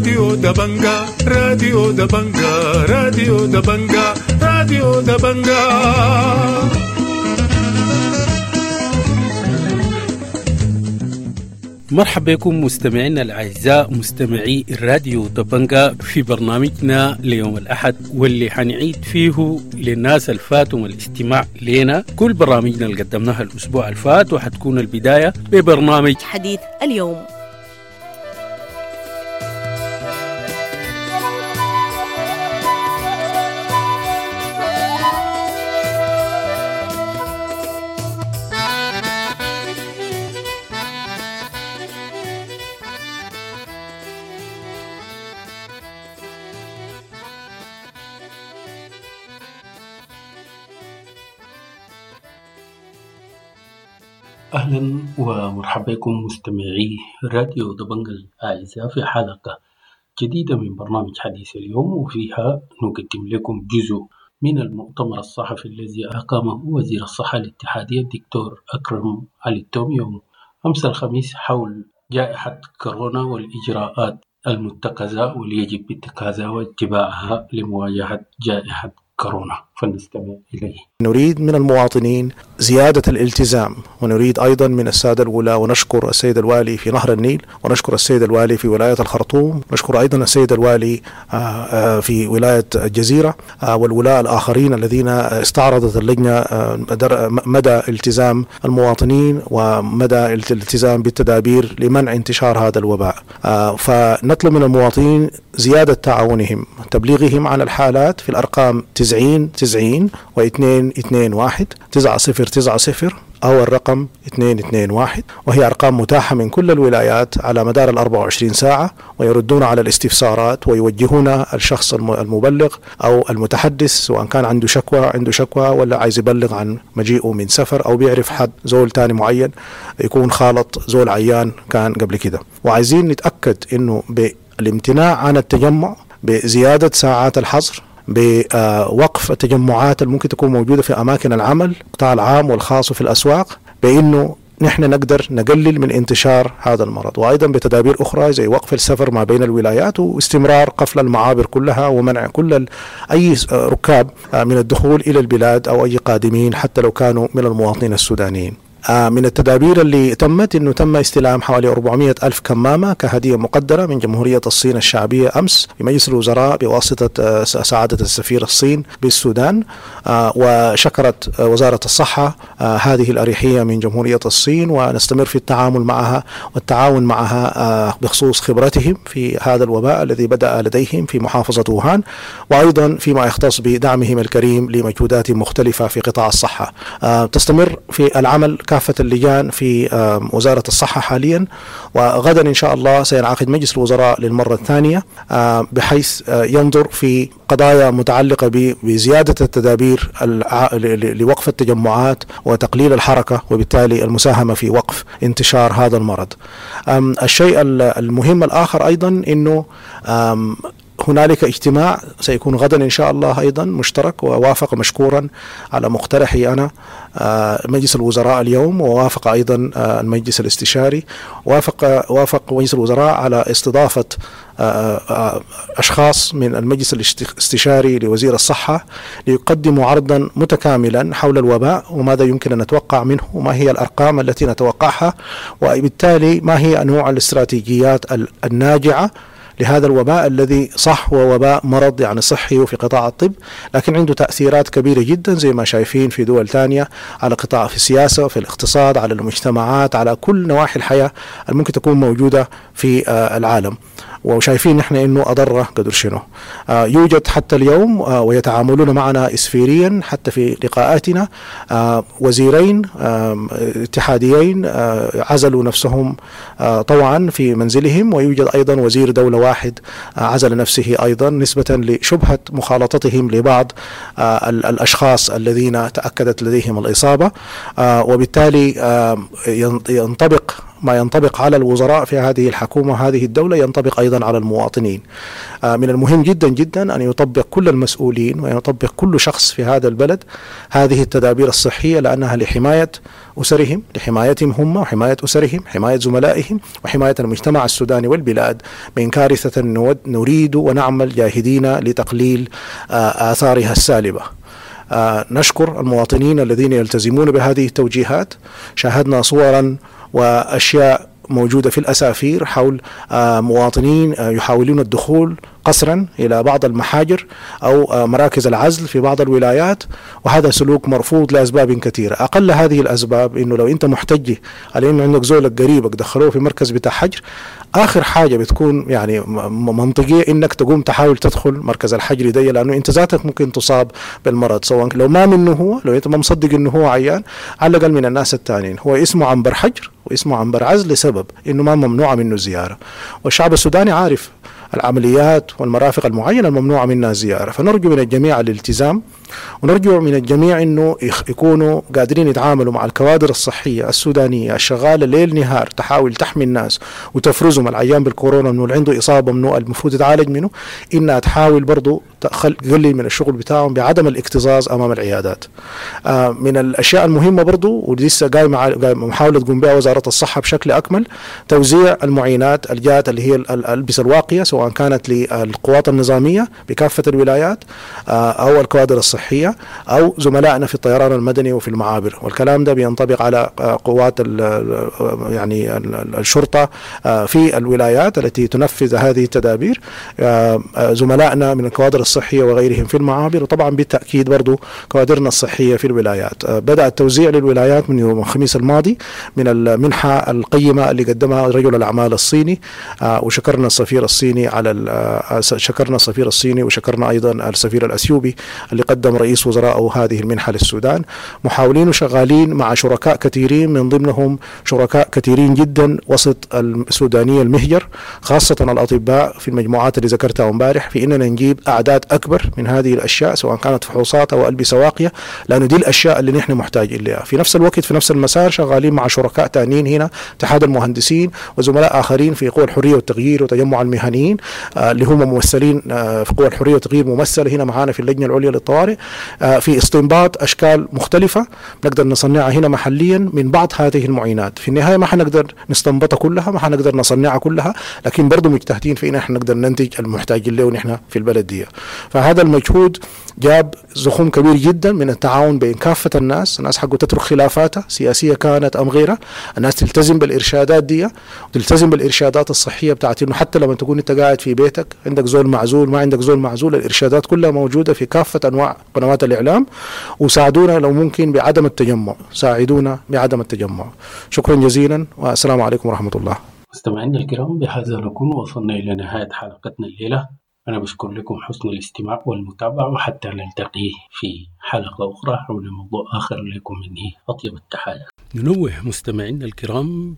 راديو دبنجا، راديو دبنجا، راديو دبنجا، راديو دبنجا. مرحبا بكم مستمعينا الأعزاء مستمعي الراديو دبنجا في برنامجنا ليوم الأحد، واللي حنعيد فيه للناس الفاتهم الاستماع لنا كل برامجنا اللي قدمناها الأسبوع الفات، وحتكون البداية ببرنامج حديث اليوم. أهلا ومرحبا بكم مستمعي راديو دبنجا الأعزاء في حلقة جديدة من برنامج حديث اليوم، وفيها نقدم لكم جزء من المؤتمر الصحفي الذي أقامه وزير الصحة الاتحادية الدكتور أكرم علي التوم يوم أمس الخميس حول جائحة كورونا والإجراءات المتخذة واللي يجب اتخاذها واتباعها لمواجهة جائحة كورونا، فلنستمع إليه. نريد من المواطنين زيادة الالتزام، ونريد أيضا من السادة الولاة، ونشكر السيد الوالي في نهر النيل، ونشكر السيد الوالي في ولاية الخرطوم، نشكر أيضا السيد الوالي في ولاية الجزيرة والولاة الآخرين الذين استعرضت اللجنة مدى التزام المواطنين ومدى الالتزام بالتدابير لمنع انتشار هذا الوباء. فنطلب من المواطنين زيادة تعاونهم، تبليغهم عن الحالات في الأرقام 90 90 و221 9090 أو الرقم 221، وهي أرقام متاحة من كل الولايات على مدار 24 ساعة، ويردون على الاستفسارات ويوجهون الشخص المبلغ أو المتحدث سواء كان عنده شكوى ولا عايز يبلغ عن مجيئه من سفر أو بيعرف حد زول تاني معين يكون خالط زول عيان كان قبل كده. وعايزين نتأكد إنه بالامتناع عن التجمع، بزيادة ساعات الحظر، بوقف التجمعات اللي ممكن تكون موجودة في أماكن العمل القطاع العام والخاص وفي الأسواق، بأنه نحن نقدر نقلل من انتشار هذا المرض، وأيضا بتدابير أخرى زي وقف السفر ما بين الولايات واستمرار قفل المعابر كلها ومنع كل أي ركاب من الدخول إلى البلاد أو أي قادمين حتى لو كانوا من المواطنين السودانيين. من التدابير اللي تمت أنه تم استلام حوالي 400 ألف كمامة كهدية مقدرة من جمهورية الصين الشعبية أمس في مجلس الوزراء بواسطة سعادة السفير الصين بالسودان، وشكرت وزارة الصحة هذه الأريحية من جمهورية الصين، ونستمر في التعامل معها والتعاون معها بخصوص خبرتهم في هذا الوباء الذي بدأ لديهم في محافظة ووهان، وأيضا فيما يختص بدعمهم الكريم لمجهودات مختلفة في قطاع الصحة. تستمر في العمل كافة اللجان في وزارة الصحة حاليا، وغدا إن شاء الله سينعقد مجلس الوزراء للمرة الثانية بحيث ينظر في قضايا متعلقة بزيادة التدابير لوقف التجمعات وتقليل الحركة، وبالتالي المساهمة في وقف انتشار هذا المرض. الشيء المهم الآخر أيضا أنه هنالك اجتماع سيكون غدا إن شاء الله أيضا مشترك، ووافق مشكورا على مقترحي أنا مجلس الوزراء اليوم، ووافق أيضا المجلس الاستشاري، وافق مجلس الوزراء على استضافة أشخاص من المجلس الاستشاري لوزير الصحة ليقدموا عرضا متكاملا حول الوباء وماذا يمكن أن نتوقع منه وما هي الأرقام التي نتوقعها، وبالتالي ما هي أنواع الاستراتيجيات الناجعة لهذا الوباء الذي صح هو وباء مرض يعني صحي وفي قطاع الطب، لكن عنده تأثيرات كبيرة جدا زي ما شايفين في دول ثانية على قطاع في السياسة وفي الاقتصاد، على المجتمعات، على كل نواحي الحياة الممكن تكون موجودة في العالم. وشايفين نحن انه اضر قدر شنو. يوجد حتى اليوم ويتعاملون معنا اسفيريا حتى في لقاءاتنا وزيرين اتحاديين عزلوا نفسهم طوعا في منزلهم، ويوجد ايضا وزير دولة واحد عزل نفسه ايضا نسبة لشبهة مخالطتهم لبعض الاشخاص الذين تأكدت لديهم الاصابة، وبالتالي ينطبق ما ينطبق على الوزراء في هذه الحكومة وهذه الدولة ينطبق أيضا على المواطنين. من المهم جدا جدا أن يطبق كل المسؤولين ويطبق كل شخص في هذا البلد هذه التدابير الصحية، لأنها لحماية أسرهم، لحمايتهم هم وحماية أسرهم، حماية زملائهم، وحماية المجتمع السوداني والبلاد من كارثة نريد ونعمل جاهدين لتقليل آثارها السالبة. نشكر المواطنين الذين يلتزمون بهذه التوجيهات. شاهدنا صورا وأشياء موجودة في الأسافير حول مواطنين يحاولون الدخول قسرا إلى بعض المحاجر أو مراكز العزل في بعض الولايات، وهذا سلوك مرفوض لأسباب كثيرة. أقل هذه الأسباب إنه لو أنت محتج على إنه عندك زولك قريبك دخلوه في مركز بتاع حجر، آخر حاجة بتكون يعني منطقية إنك تقوم تحاول تدخل مركز الحجر دي، لأنه أنت ذاتك ممكن تصاب بالمرض، سواء لو ما منه هو، لو أنت ما مصدق إنه هو عيان، على الأقل من الناس الثانيين. هو اسمه عنبر حجر واسمه عنبر عزل لسبب إنه ما ممنوع منه الزيارة، والشعب السوداني عارف العمليات والمرافق المعينة الممنوعة منها الزيارة. فنرجو من الجميع الالتزام، ونرجو من الجميع أنه يكونوا قادرين يتعاملوا مع الكوادر الصحية السودانية الشغالة ليل نهار تحاول تحمي الناس وتفرزهم العيان بالكورونا منه، اللي عنده إصابة منه المفروض يتعالج منه، إنها تحاول برضو تقلل من الشغل بتاعهم بعدم الاكتظاظ أمام العيادات. من الأشياء المهمة برضو ولسه قايمة محاولة تقوم بها وزارة الصحة بشكل أكمل، توزيع المعينات الجات اللي هي الألبسة الواقية، سواء كانت للقوات النظامية بكافة الولايات أو الكوادر الصحية أو زملائنا في الطيران المدني وفي المعابر. والكلام ده بينطبق على قوات يعني الشرطة في الولايات التي تنفذ هذه التدابير، زملائنا من الكوادر الصحية وغيرهم في المعابر، وطبعا بالتأكيد برضو كوادرنا الصحية في الولايات. بدأ التوزيع للولايات من يوم الخميس الماضي من المنحة القيمة اللي قدمها رجل الأعمال الصيني، وشكرنا السفير الصيني على شكرنا السفير الصيني، وشكرنا أيضا السفير الأثيوبي اللي قدم رئيس وزرائه هذه المنحة للسودان. محاولين وشغالين مع شركاء كثيرين، من ضمنهم شركاء كثيرين جدا وسط السودانية المهجر، خاصة الأطباء في المجموعات اللي ذكرتها امبارح، في إننا نجيب أعداد أكبر من هذه الأشياء سواء كانت فحوصات أو ألبسة واقية، لأنه دي الأشياء اللي نحن محتاجين لها. في نفس الوقت في نفس المسار شغالين مع شركاء تانيين هنا، اتحاد المهندسين وزملاء آخرين في قوى الحرية والتغيير وتجمع المهنيين اللي هم ممثلين في قوى الحرية والتغيير ممثلة هنا معانا في اللجنة العليا للطوارئ، في استنباط أشكال مختلفة نقدر نصنعها هنا محليا من بعض هذه المعينات. في النهاية ما حنقدر نستنبطها كلها، ما حنقدر نصنعها كلها، لكن برضو مجتهدين في إن احنا نقدر ننتج المحتاجين له نحن في البلد دي. فهذا المجهود جاب زخم كبير جدا من التعاون بين كافة الناس. الناس حقه تترك خلافاتها سياسية كانت أم غيرها، الناس تلتزم بالإرشادات دي وتلتزم بالإرشادات الصحية بتاعت إنه حتى لما تكون أنت قاعد في بيتك عندك زول معزول ما عندك زول معزول، الإرشادات كلها موجودة في كافة أنواع قنوات الإعلام. وساعدونا لو ممكن بعدم التجمع، ساعدونا بعدم التجمع. شكرا جزيلا والسلام عليكم ورحمة الله. مستمعينا الكرام، بهذا نكون وصلنا إلى نهاية حلقتنا الليلة. أنا بشكر لكم حسن الاستماع والمتابعة، وحتى نلتقي في حلقة أخرى حول موضوع آخر لكم مني أطيب التحايا. ننوه مستمعينا الكرام،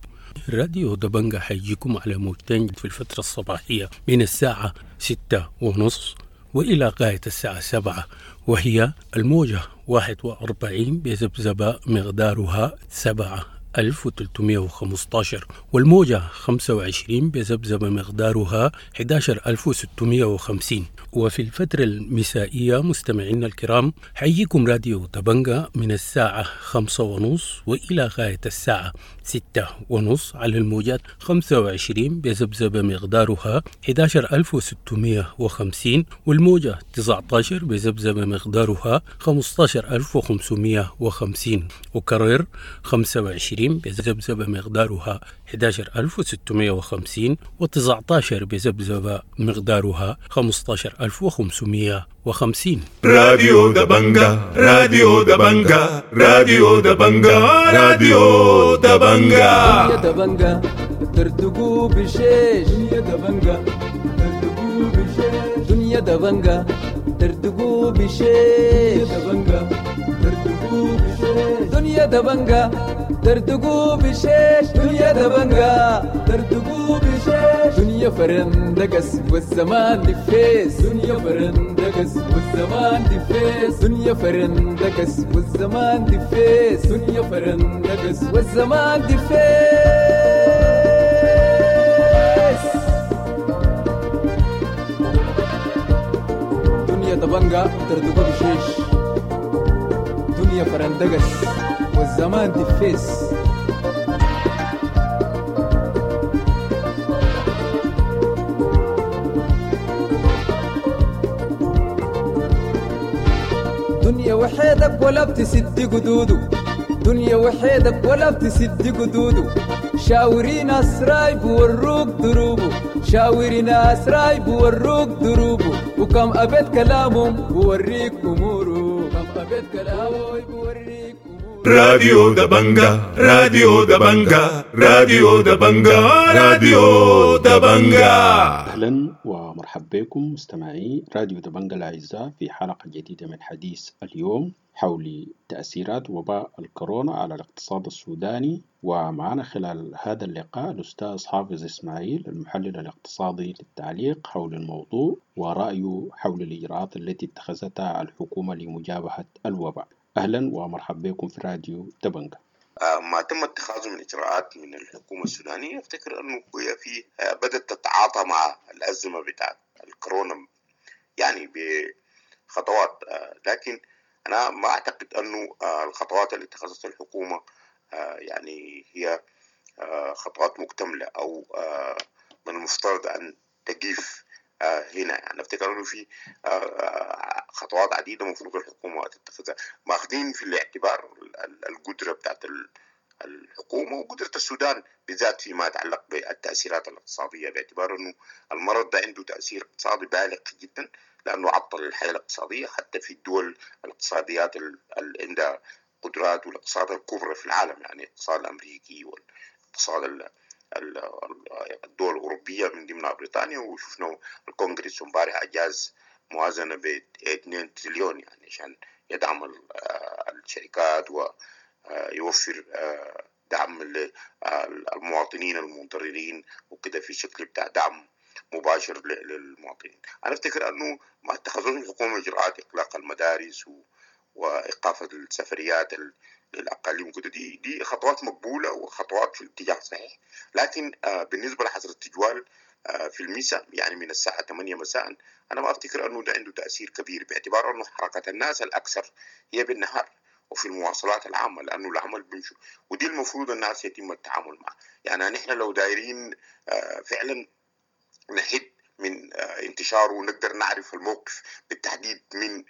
راديو دبنجة حيجيكم على موجتين في الفترة الصباحية من الساعة 6:30 وإلى غاية الساعة 7، وهي الموجة 41 بذبذبة مقدارها 7315، والموجة 25 بذبذبة مقدارها 11650. وفي الفترة المسائية مستمعينا الكرام حييكم راديو دبنجة من الساعة 5:30 وإلى غاية الساعة 6:30 على الموجات 25 بذبذبة مقدارها 11650، والموجة 19 بذبذبة مقدارها 15550. وكرر 25 بذبذبة مقدارها 11650 و19 بذبذبة مقدارها 15550. راديو دبنجة، راديو دبنجة، راديو دبنجة، راديو دبنجة. يا دبنجة ترتقو بشيش، يا دبنجة ترتقو بشيش، دنيا دبنجة ترتقو بشيش، يا دبنجة ترتقو بشيش، دنيا دبنجة ترتقو بشيش، دنيا دبنجة ترتقو بشيش، دنيا فرندقس والزمان دفيس، دنيا فرندقس والزمان دفيس، دنيا فرندقس والزمان دفيس، دنيا فرندقس والزمان دفيس. دنيا دبنجة تردقو بشيش، دنيا فرندقس والزمان دفيس. دنيا وحيدك ولا بتسد قدوده، دنيا وحيدك ولا بتسد قدوده. شاوري ناس رايب وروك دروبه، شاوري ناس رايب وروك دروبه. وكم أبيت كلامهم بوريك أموره، كم أبيت كلامه بوريك أموره. راديو دبنجا، راديو دبنجا، راديو دبنجا، راديو دبنجا. أهلا ومرحبا بكم مستمعي راديو دبنجا الأعزاء في حلقة جديدة من حديث اليوم حول تأثيرات وباء الكورونا على الاقتصاد السوداني. ومعنا خلال هذا اللقاء الأستاذ حافظ إسماعيل المحلل الاقتصادي للتعليق حول الموضوع ورأيه حول الإجراءات التي اتخذتها الحكومة لمجابهة الوباء. أهلا ومرحبا بكم في راديو دبنجا. ما تم اتخاذه من إجراءات من الحكومة السودانية، أفتكر أنه هي في بدأت تتعاطى مع الأزمة بتاعت الكورونا يعني بخطوات، لكن أنا ما أعتقد أنه الخطوات اللي اتخذتها الحكومة يعني هي خطوات مكتملة أو من المفترض أن تقف هنا. يعني أفتكر أنه في خطوات عديدة المفروض الحكومة تتخذها، ماخذين في الاعتبار القدرة بتاعت الحكومة وقدرة السودان بالذات فيما يتعلق بالتأثيرات الاقتصادية، باعتبار أنه المرض ده عنده تأثير اقتصادي بالغ جدا، لأنه عطل الحياة الاقتصادية حتى في الدول الاقتصاديات اللي عندها قدرات والاقتصاد الكبرى في العالم، يعني الاقتصاد الأمريكي والاقتصاد الدول الأوروبية من ضمنها بريطانيا. وشفنا الكونغرس امبارح أجاز موازنة ب 2 تريليون يعني عشان يدعم الشركات ويوفر دعم للمواطنين المتضررين وكده في شكل بتاع دعم مباشر للمواطنين. أنا أفتكر أنه ما اتخذوش الحكومة إجراءات إغلاق المدارس وإيقاف السفريات للأقاليم وكده، دي خطوات مقبولة وخطوات في الاتجاه الصحيح. لكن بالنسبة لحظر التجوال في المساء يعني من الساعة 8 مساء، أنا ما أفتكر أنه ده عنده تأثير كبير، باعتبار أنه حركة الناس الأكثر هي بالنهار وفي المواصلات العامة، لأنه العمل بيمشوا، ودي المفروض الناس يتم التعامل معه. يعني نحن لو دايرين فعلا نحد من انتشاره ونقدر نعرف الموقف بالتحديد من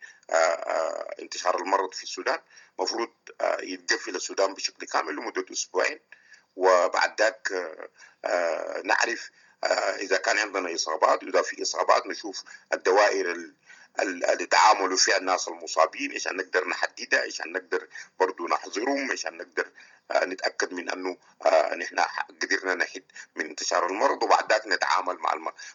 انتشار المرض في السودان، مفروض يتقفل السودان بشكل كامل لمدة أسبوعين، وبعد ذاك نعرف إذا كان عندنا إصابات، وإذا في إصابات نشوف الدوائر اللي تعاملوا فيها الناس المصابين عشان نقدر نحددها، عشان نقدر برضو نحظرهم، عشان نقدر نتأكد من أنه نحن قدرنا نحد من انتشار المرض. وبعد ذاك نتعامل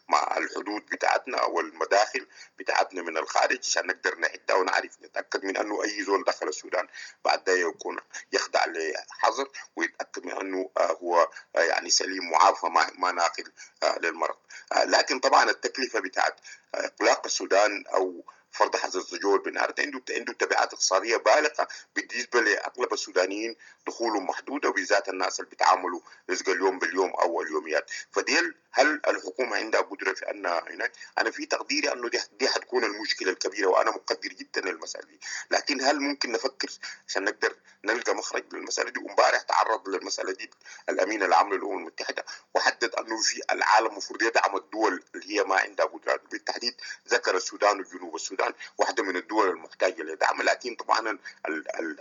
مع الحدود بتاعتنا والمداخل بتاعتنا من الخارج عشان نقدر نحدها ونعرف نتأكد من أنه أي زول دخل السودان بعد ده يكون يخضع لحظر، ويتأكد من أنه هو يعني سليم وعافى ما ناقل للمرض. لكن طبعا التكلفة بتاعت إغلاق السودان أو فرض حظر التجول بالنهار عنده تبعات اقتصادية بالغة بالنسبة لاغلب السودانيين، دخولهم محدودة، وبالذات الناس اللي بيتعاملوا رزق اليوم باليوم او اليوميات. فديل هل الحكومة عندها قدره في انها هناك؟ انا في تقديري انه دي حتكون المشكلة الكبيرة، وانا مقدر جدا للمسالة دي، لكن هل ممكن نفكر عشان نقدر نلقى مخرج للمسالة دي؟ وامبارح تعرض للمسالة دي الامين العام للامم المتحدة وحدد انه في العالم المفروض يدعم الدول اللي هي ما عندها قدرات، بالتحديد ذكر السودان وجنوب السودان واحدة من الدول المحتاجة لدعم. لكن طبعا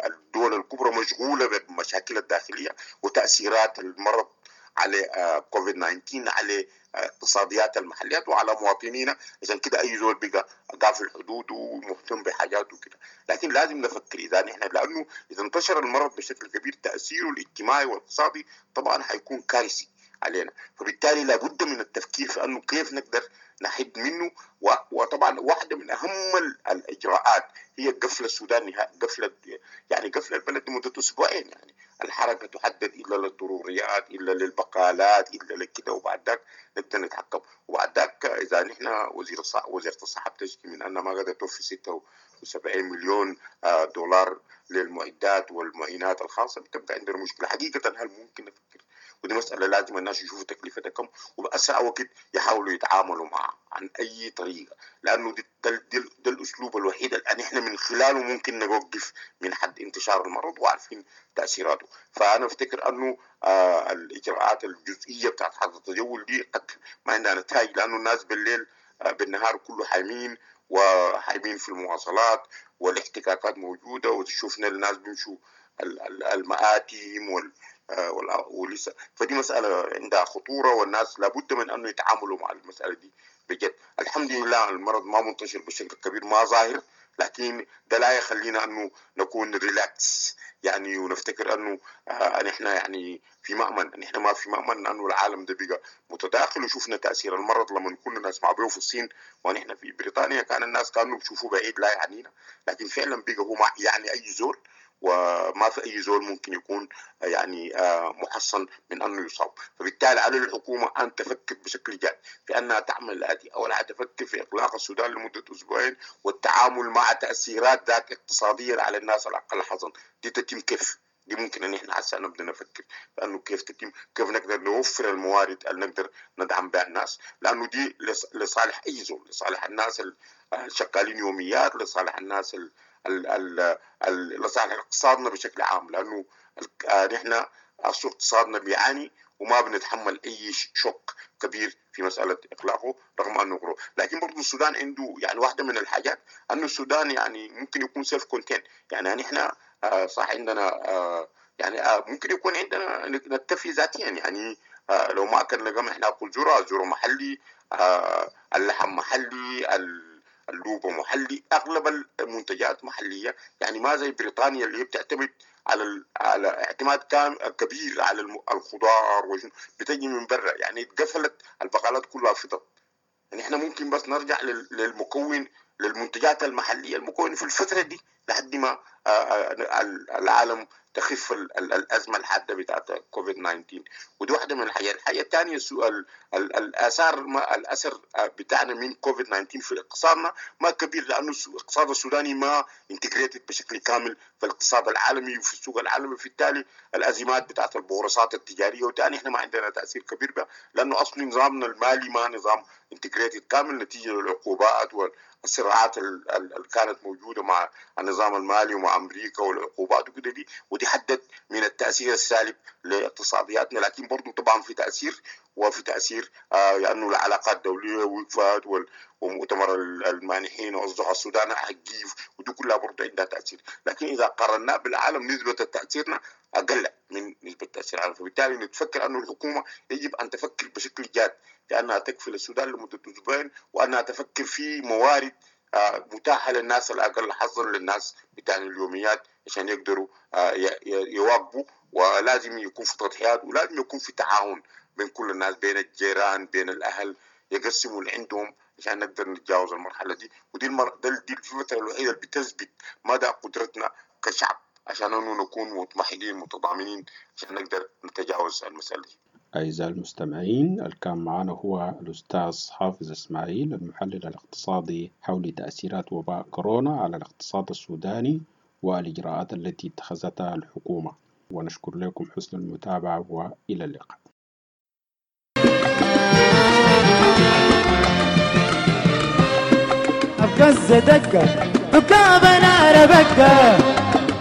الدول الكبرى مشغولة بالمشاكل الداخلية وتأثيرات المرض على كوفيد 19 على اقتصاديات المحليات وعلى مواطنينا، عشان كده اي زول بقى قافل الحدود ومهتم بحاجاته وكده. لكن لازم نفكر اذا نحن، لانه اذا انتشر المرض بشكل كبير تاثيره الاجتماعي والاقتصادي طبعا حيكون كارثي علينا، فبالتالي لابد من التفكير في انه كيف نقدر نحد منه. وطبعا واحدة من اهم الاجراءات هي قفل السودان، قفل يعني قفل البلد لمدة اسبوعين، يعني الحركة تحدد الا للضروريات، الا للبقالات، الا لكده، وبعد ذاك نبدا نتحكم. وبعد ذاك اذا نحن وزيره الصحة بتشكي من ان ما قدرت توفي 76 مليون دولار للمعدات والمعينات الخاصة، بتبقى عندنا مشكلة حقيقة. هل ممكن نفكر ودي مسالة لازم الناس يشوفوا تكلفتها كم، وباسرع وقت يحاولوا يتعاملوا معها عن اي طريقه، لانه ده الاسلوب الوحيد اللي احنا من خلاله ممكن نوقف من حد انتشار المرض وعارفين تاثيراته. فانا افتكر انه الاجراءات الجزئية بتاعت حظر التجول دي قد ما عندها نتائج، لانه الناس بالليل بالنهار كله حايمين وحايمين في المواصلات والاحتكاكات موجودة، وشفنا الناس بيمشوا المآتم ولسه، فدي مسألة عندها خطورة، والناس لابد من أنه يتعاملوا مع المسألة دي بجد. الحمد لله المرض ما منتشر بشكل كبير، ما ظاهر، لكن ده لا يخلينا أنه نكون relax يعني ونفتكر أنه نحن يعني في مأمن. نحن ما في مأمن، لأنه العالم ده بقى متداخل، وشفنا تأثير المرض لما كنا نسمع به في الصين ونحن في بريطانيا، كان الناس كانوا بيشوفوه بعيد لا يعنينا، لكن فعلا بقى هو ما يعني أي زول، وما في أي زول ممكن يكون يعني محصن من أنه يصاب. فبالتالي على الحكومة أن تفكر بشكل جاد في أنها تعمل الآتي: أولا تفكر في إغلاق السودان لمدة أسبوعين والتعامل مع تأثيرات ذاك اقتصاديا على الناس الأقل حظا. دي تتم كيف؟ دي ممكن أن إحنا هسه نبدأ نفكر لأنه كيف تتم، كيف نقدر نوفر الموارد اللي نقدر ندعم بها الناس، لأنه دي لصالح أي زول، لصالح الناس الشغالين يوميات، لصالح الناس لصالح اقتصادنا بشكل عام، لأنه نحن أصل اقتصادنا بيعاني وما بنتحمل أي شوك كبير في مسألة إغلاقه رغم أنه غرو. لكن برضو السودان عنده يعني واحدة من الحاجات أنه السودان يعني ممكن يكون self contained، يعني نحن صح عندنا يعني ممكن يكون عندنا نكتفي ذاتيا، يعني لو ما أكلنا قمح ناكل ذرة، ذرة محلي، اللحم محلي، اللوبة محلي، أغلب المنتجات محلية، يعني ما زي بريطانيا اللي بتعتمد على اعتماد كبير على الخضار بتجي من برا، يعني اتقفلت البقالات كلها فضت. يعني احنا ممكن بس نرجع للمكون، للمنتجات المحلية، المكون في الفترة دي لحد ما العالم تخف الأزمة الحادة بتاعت كوفيد 19. ودي واحدة من الحاجات. الحاجة الثانية السؤال، الآثار، ما الأثر بتاعنا من كوفيد 19 في اقتصادنا ما كبير، لأنه الاقتصاد السوداني ما integrated بشكل كامل في الاقتصاد العالمي وفي السوق العالمي، بالتالي الأزمات بتاعت البورصات التجارية وتاني احنا ما عندنا تأثير كبير بها، لأنه أصلا نظامنا المالي ما نظام integrated كامل نتيجة للعقوبات والصراعات اللي كانت موجودة مع النظام المالي ومع أمريكا والعقوبات وكده دي، ودي حدد من التأثير السالب لاقتصادياتنا. لكن برضو طبعا في تأثير، وفي تأثير لأنه العلاقات الدولية وقفت، ومؤتمر المانحين وأصدقاء السودان حقيف، ودي كلها برضو عندها تأثير. لكن إذا قارناه بالعالم نسبة تأثيرنا أقل من نسبة تأثير العالم. فبالتالي نتفكر أنه الحكومة يجب أن تفكر بشكل جاد لأنها تكفل السودان لمدة أسبوعين، وأنها تفكر في موارد متاحة للناس الأقل حظا، للناس بتاع اليوميات، عشان يقدروا يواكبوا. ولازم يكون في تضحيات، ولازم يكون في تعاون بين كل الناس، بين الجيران، بين الأهل، يقسموا اللي عندهم عشان نقدر نتجاوز المرحلة دي. ودي دي الفترة الوحيدة اللي بتثبت مدى قدرتنا كشعب عشان أنه نكون متمحلين متضامنين عشان نقدر نتجاوز المسألة دي. أعزائي المستمعين، اللي كان معنا هو الأستاذ حافظ إسماعيل المحلل الاقتصادي حول تأثيرات وباء كورونا على الاقتصاد السوداني والإجراءات التي اتخذتها الحكومة. ونشكر لكم حسن المتابعة وإلى اللقاء. أبقز دقة دقة نار بقة،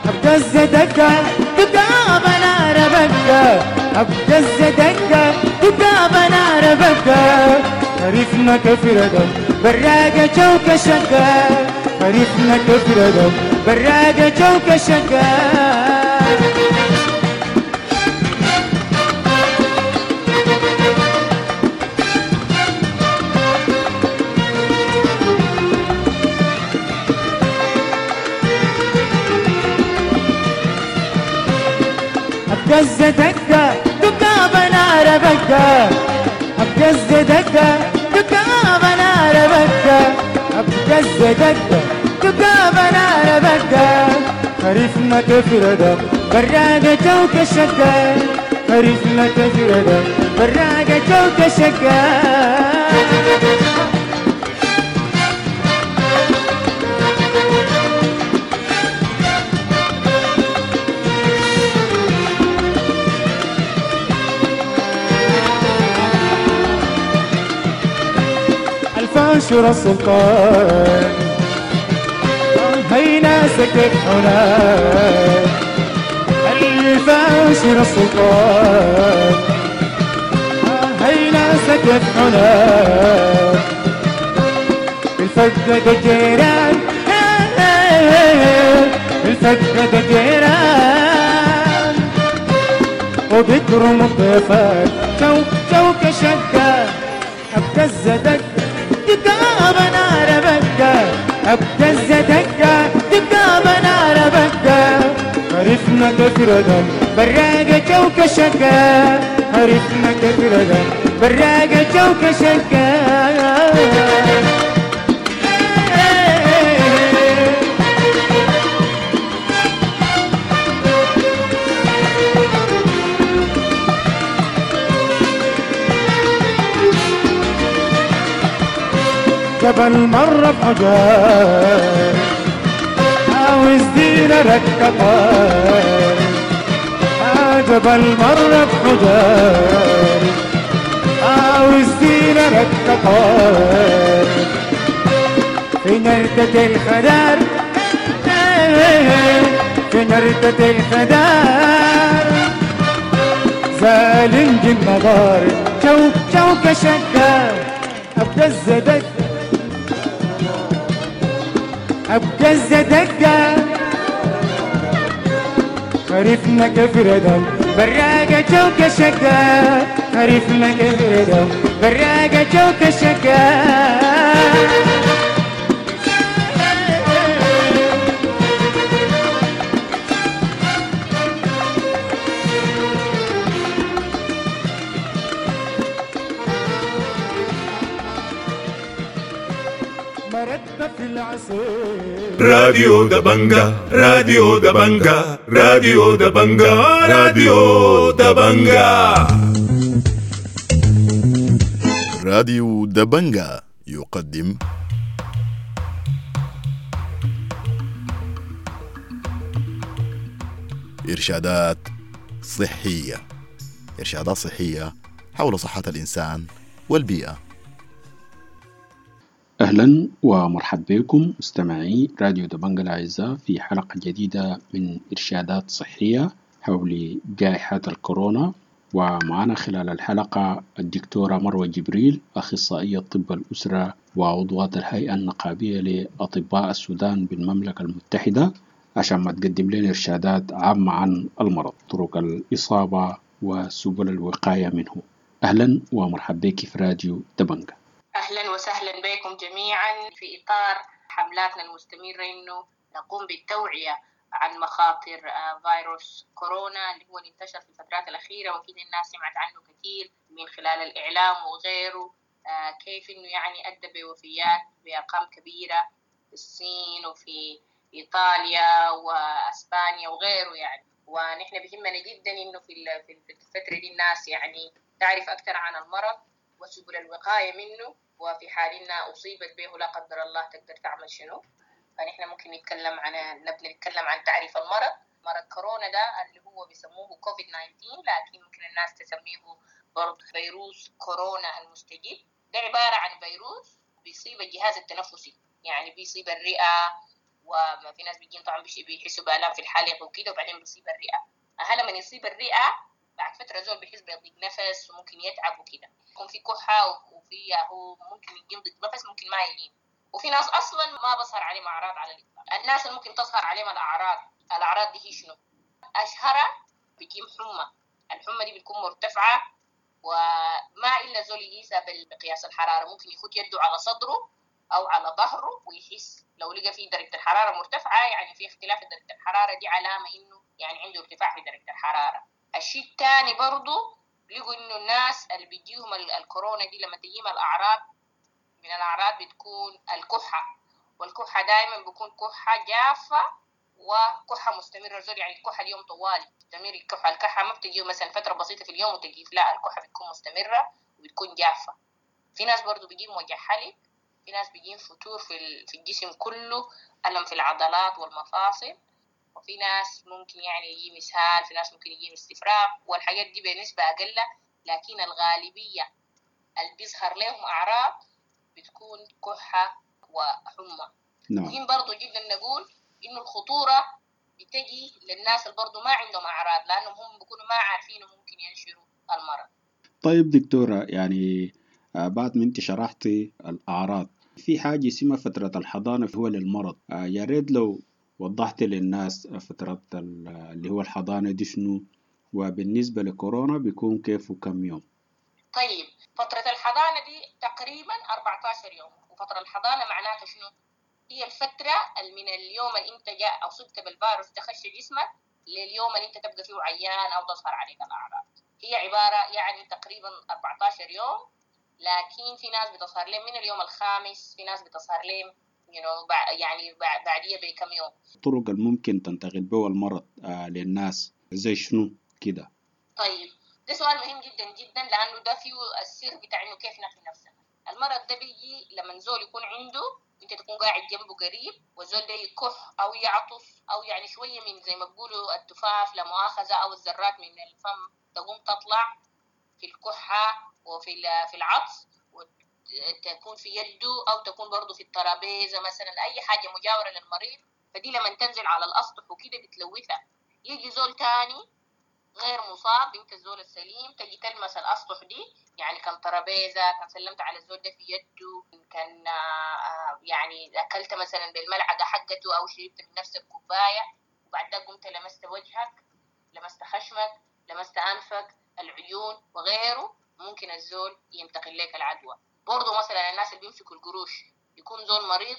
أبقز دقة دقة نار بقة، أبقز دقة دقة نار بقة، خريفنا كفردة براقة جوك شقة، خريفنا كفردة براقة جوك شقة. أبقز دقة دقة نار بقة، أبقز دقة دقة نار بقة، أبقز دقة دقة نار بقة، خريفنا كفردة براقة جوك شقة، خريفنا كفردة براقة جوك شقة. الفاشر السلطان، هي ناسك هناك الفاشر السلطان، هي ناسك هناك الفقد الجيران، الفقد الجيران وبكرم الضيفان. شوك شقة أبتز دقة دقة بنار بقة، أبتز دقة دقة بنار بقة، عرفنا كفردا براقة شوك شقة، عرفنا كفردا براقة شوك شقة. جبل مرة بحجار عاوز دينا ركبان، جبل مرة بحجار عاوز دينا ركبان، في نردة الخدار، في نردة الخدار زالنج النظار. شوك شقة أبتز دقة أبتز دقة، خريفنا كفردة براقة شوك شقة، خريفنا كفردة براقة شوك شقة. راديو دبنجا، راديو دبنجا، راديو دبنجا، راديو دبنجا. راديو دبنجا يقدم إرشادات صحية، إرشادات صحية حول صحة الإنسان والبيئة. أهلا ومرحبا بكم مستمعي راديو دبنجا الأعزاء في حلقة جديدة من إرشادات صحية حول جائحة الكورونا. ومعنا خلال الحلقة الدكتورة مروة جبريل، أخصائية طب الأسرة وعضوة الهيئة النقابية لأطباء السودان بالمملكة المتحدة، عشان ما تقدم لنا إرشادات عامة عن المرض، طرق الإصابة وسبل الوقاية منه. أهلا ومرحبا بك في راديو دبنجا. أهلا وسهلا بكم جميعا. في إطار حملاتنا المستمرة إنه نقوم بالتوعية عن مخاطر فيروس كورونا اللي هو انتشر في الفترات الأخيرة، وأكيد الناس سمعت عنه كثير من خلال الإعلام وغيره، كيف إنه يعني أدى بوفيات بأرقام كبيرة في الصين وفي إيطاليا وأسبانيا وغيره يعني. ونحن بهمنا جدا إنه في الفترة دي الناس يعني تعرف أكثر عن المرض وسبل الوقاية منه، وفي حال إنها أصيبت به لا قدر الله تقدر تعمل شنو. فنحن ممكن نتكلم عن نبدأ نتكلم عن تعريف المرض. مرض كورونا ده اللي هو بيسموه كوفيد 19، لكن ممكن الناس تسميه برضه فيروس كورونا المستجد. ده عبارة عن فيروس بيصيب الجهاز التنفسي، يعني بيصيب الرئة، وما في ناس بيجين طبعا بيحسوا بآلام في الحلق وكده، وبعدين بيصيب الرئة. لما يصيب الرئة بعد فترة زول بيحس بضيق نفس وممكن يتعب وكده، يكون في كحة وفي هو ممكن يجي ضيق نفس، ممكن ما يجي. وفي ناس أصلا ما بظهر عليهم أعراض على الإطلاق. الناس اللي ممكن تظهر عليهم الأعراض دي هي شنو؟ أشهرها بيجيهم حمى، الحمى دي بتكون مرتفعة وما إلا زول يقيسها بقياس الحرارة، ممكن يخد يده على صدره أو على ظهره ويحس لو لقى فيه درجة الحرارة مرتفعة، يعني في اختلاف درجة الحرارة دي علامة إنه يعني عنده ارتفاع في درجة الحرارة. الشيء الثاني برضو لقوا إنه الناس اللي بيجيهم الكورونا دي لما تجيهم الأعراض، من الأعراض بتكون الكحة، والكحة دائما بيكون كحة جافة وكحة مستمرة زول، يعني الكحة اليوم طوالي مستمر الكحة. الكحة ما بتجيه مثلا فترة بسيطة في اليوم وتجيف، لا الكحة بتكون مستمرة وبتكون جافة. في ناس برضو بيجيهم وجع حلق، في ناس بيجيهم فتور في الجسم كله، ألم في العضلات والمفاصل، وفي ناس ممكن يعني يجي مسهال، في ناس ممكن يجي استفراغ، والحاجات دي بنسبة أقل. لكن الغالبية اللي بيظهر لهم أعراض بتكون كحة وحمى. نعم. مهم برضو جدا نقول إنه الخطورة بتجي للناس اللي برضو ما عندهم أعراض، لأنهم هم بيكونوا ما عارفين وممكن ينشروا المرض. طيب دكتورة، يعني بعد ما انت شرحتي الأعراض، في حاجة اسمها فترة الحضانة هو للمرض، يا ريت لو وضحت للناس فترة اللي هو الحضانة دي شنو، وبالنسبة لكورونا بيكون كيف وكم يوم؟ طيب فترة الحضانة دي تقريبا 14 يوم. وفترة الحضانة معناتها شنو؟ هي الفترة من اليوم اللي انت جاء أصبت بالفيروس تخش جسمك لليوم اللي انت تبقى فيه عيان أو تظهر عليك الأعراض. هي عبارة يعني تقريبا 14 يوم، لكن في ناس بتظهر لهم من اليوم الخامس، في ناس بتظهر لهم يعني بعديها بكم يوم. الطرق الممكن تنتقل بها المرض للناس زي شنو كده؟ طيب ده سؤال مهم جدا جدا، لأنه ده فيه السر بتاع إنه كيف نقي نفسنا. المرض ده بيجي لما زول يكون عنده، انت تكون قاعد جنبه قريب، والزول ده يكح او يعطس او يعني شويه من زي ما بيقولوا التفاف لا مؤاخذه او الذرات من الفم تقوم تطلع في الكحه وفي في العطس، وتكون في يده او تكون برضه في الترابيزه مثلا، اي حاجه مجاوره للمريض. فدي لما تنزل على الاسطح وكده بتلوثها. يجي زول تاني غير مصاب، انت الزول السليم تجي تلمس الاسطح دي، يعني كان ترابيزه، كان سلمت على الزول ده في يده، كان يعني اكلت مثلا بالملعقه حقته او شربت من نفس الكوبايه، وبعد ده قمت لمست وجهك، لمست خشمك، لمست انفك، العيون وغيره، ممكن الزول ينتقل لك العدوى. برضه مثلا الناس اللي بيمسكوا القروش، يكون زول مريض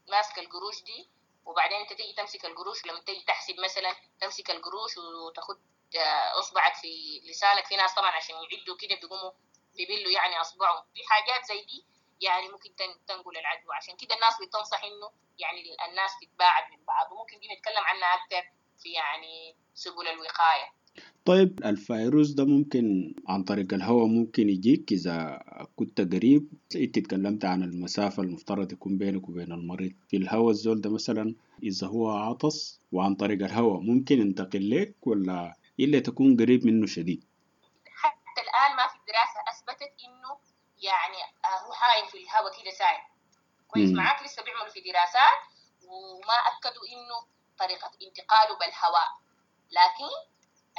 ماسك القروش دي، وبعدين انت تيجي تمسك القروش، لما تيجي تحسب مثلا تمسك القروش وتاخد اصبعك في لسانك، في ناس طبعا عشان يعدوا كده بيقوموا بيبلوا يعني اصبعهم، في حاجات زي دي يعني ممكن تنقل العدوى. عشان كده الناس بتنصح انه يعني الناس تتباعد من بعض، وممكن دي نتكلم عنها اكثر في يعني سبل الوقايه. طيب الفيروس ده ممكن عن طريق الهواء ممكن يجيك إذا كنت قريب. انت تكلمت عن المسافة المفترض يكون بينك وبين المريض في الهواء، الزول ده مثلا إذا هو عطس وعن طريق الهواء ممكن ينتقل لك ولا إلا تكون قريب منه شديد؟ حتى الآن ما في دراسة أثبتت إنه يعني هو حايم في الهواء كده سايم كويس. معاك لسه بيعملوا في دراسات وما أكدوا إنه طريقة انتقاله بالهواء، لكن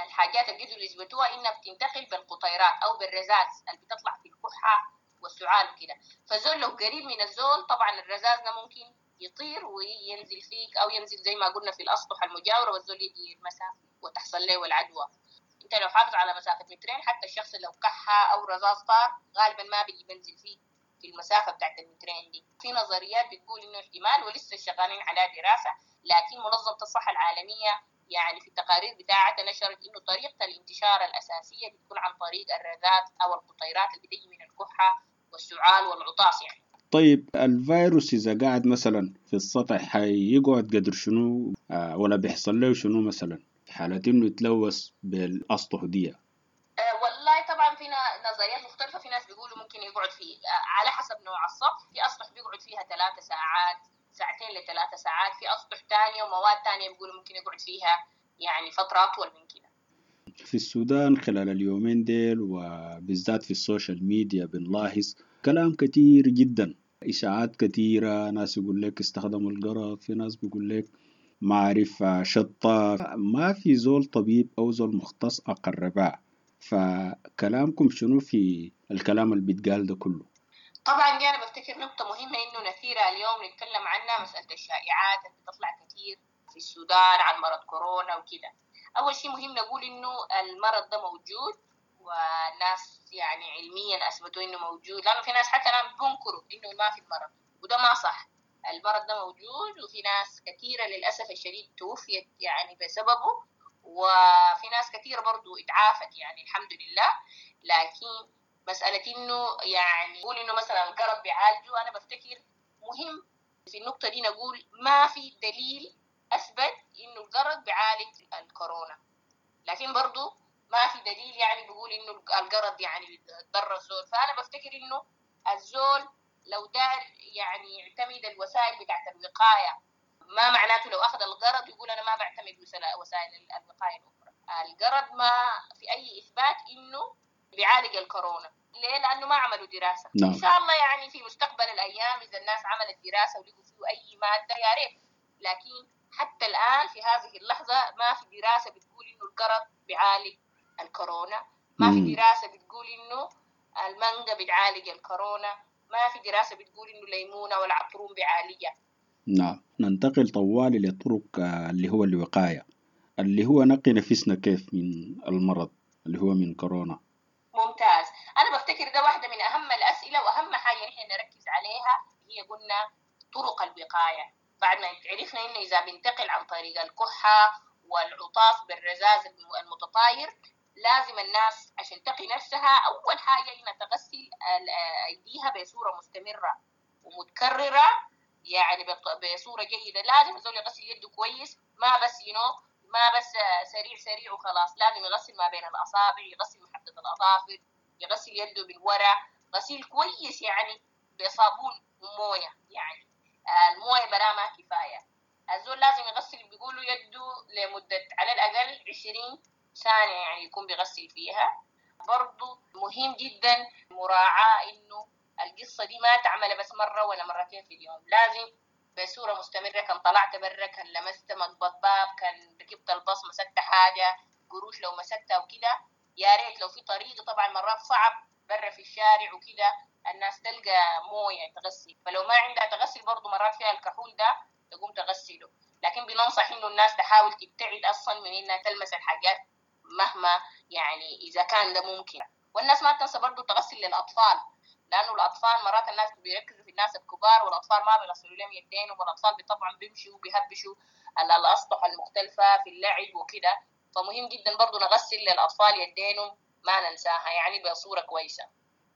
الحاجات اللي قدروا يثبتوها إنها بتنتقل بالقطيرات أو بالرذاذ اللي بتطلع في الكحة والسعال وكده. فزول لو قريب من الزول طبعا الرذاذ ده ممكن يطير وينزل فيك أو ينزل زي ما قلنا في الأسطح المجاورة، والزول يجي يلمسها وتحصل له العدوى. انت لو حافظ على مسافة مترين، حتى الشخص لو كحة أو رذاذ طار غالبا ما بيجي بنزل فيه في المسافة بتاعت المترين دي. في نظريات بتقول إنه احتمال، ولسه شغالين على دراسة، لكن منظمة الصحة العالمية يعني في التقارير بتاعتها نشرت إنه طريقة الانتشار الأساسية بتكون عن طريق الرذاذ أو القطيرات اللي بتيجي من الكحة والسعال والعطاس يعني. طيب الفيروس إذا قاعد مثلا في السطح حيقعد قدر شنو ولا بيحصل له شنو مثلا في حالة إنه يتلوث بالأسطح دي؟ والله طبعا في نظريات مختلفة. في ناس بيقولوا ممكن يقعد في على حسب نوع السطح، في أسطح بيقعد فيها 3 ساعات، 2 ل 3 ساعات، في أسطح تانية ومواد تانية بيقولوا ممكن يقعد فيها يعني فترة أطول من كده. في السودان خلال اليومين ديل وبالذات في ال social media بنلاحظ كلام كتير جدا، إشاعات كتيرة، ناس يقول لك استخدموا القرض، في ناس بيقول لك ما عارف شطة، ما في زول طبيب أو زول مختص أقرباء. فكلامكم شنو في الكلام اللي بيتقال ده كله؟ طبعا دي أنا بفتكر نقطة مهمة إنه نثيرها اليوم نتكلم عنها، مسألة الشائعات اللي بتطلع كتير في السودان عن مرض كورونا وكده. أول شيء مهم نقول إنه المرض ده موجود، والناس يعني علميا أثبتوا إنه موجود، لأنه في ناس حتى الآن بينكروا إنه ما في المرض، وده ما صح. المرض ده موجود، وفي ناس كثيرة للأسف الشديد توفيت يعني بسببه، وفي ناس كثيرة برضو اتعافت يعني الحمد لله. لكن مسألة إنه يعني نقول إنه مثلا القرض بيعالجه، أنا بفتكر مهم في النقطة دي نقول ما في دليل أثبت إنه القرض بيعالج الكورونا، لكن برضو ما في دليل يعني بيقول إنه القرض يعني ضر الزول. فأنا بفتكر إنه الزول لو دار يعني يعتمد الوسائل بتاعت الوقاية، ما معناته لو أخذ القرض يقول أنا ما بعتمد وسائل الوقاية الأخرى. القرض ما في أي إثبات إنه بيعالج الكورونا. ليه؟ لأنه ما عملوا دراسة. نعم. إن شاء الله يعني في مستقبل الأيام إذا الناس عملت دراسة ولقوا فيه أي مادة يا ريت، لكن حتى الآن في هذه اللحظة ما في دراسة بتقول إنه القرض بيعالج الكورونا، ما في دراسة بتقول إنه المانجا بتعالج الكورونا، ما في دراسة بتقول إنه الليمونة والعطرون بيعالجها. نعم، ننتقل طوالي لطرق اللي هو الوقاية، اللي هو نقي نفسنا كيف من المرض اللي هو من كورونا. ممتاز. أنا بفتكر ده واحدة من أهم الأسئلة وأهم حاجة نحن نركز عليها هي قلنا طرق الوقاية. بعد ما عرفنا إنه إذا بنتقل عن طريق الكحة والعطاس بالرذاذ المتطاير، لازم الناس عشان تقي نفسها أول حاجة إنها تغسل أيديها بصورة مستمرة ومتكررة، يعني بصورة جيدة. لازم الزول يغسل يده كويس، ما بس ما بس سريع سريع وخلاص، لازم يغسل ما بين الأصابع، يغسل محطة الأظافر، يغسل يده بالورق، غسيل كويس يعني بصابون وموية. يعني الموية برا ما كفاية، الزول لازم يغسل بيقولوا يده لمدة على الأقل 20 ثانية يعني يكون بيغسل فيها. برضو مهم جدا مراعاة إنه القصة دي ما تعملها بس مرة ولا مرتين في اليوم، لازم بصورة مستمرة. كان طلعت برا، كان لمست مقبض باب، كان ركبت الباص مسكت حاجة، قروش لو مسكتها وكده، يا ريت لو في طريقة. طبعا مرات صعب برا في الشارع وكده الناس تلقى موية تغسل، فلو ما عندها تغسل برضو مرات فيها الكحول ده تقوم تغسله. لكن بننصح إنه الناس تحاول تبتعد أصلا من إنها تلمس الحاجات مهما يعني إذا كان ده ممكن. والناس ما تنسى برضو تغسل للأطفال، لأنه الأطفال مرات الناس بيركزوا في الناس الكبار والأطفال ما بيغسلوا لهم يدينهم، والأطفال طبعا بيمشوا وبيهبشوا على الأسطح المختلفة في اللعب وكده، فمهم جدا برضو نغسل للأطفال يدينهم، ما ننساها يعني بصورة كويسة.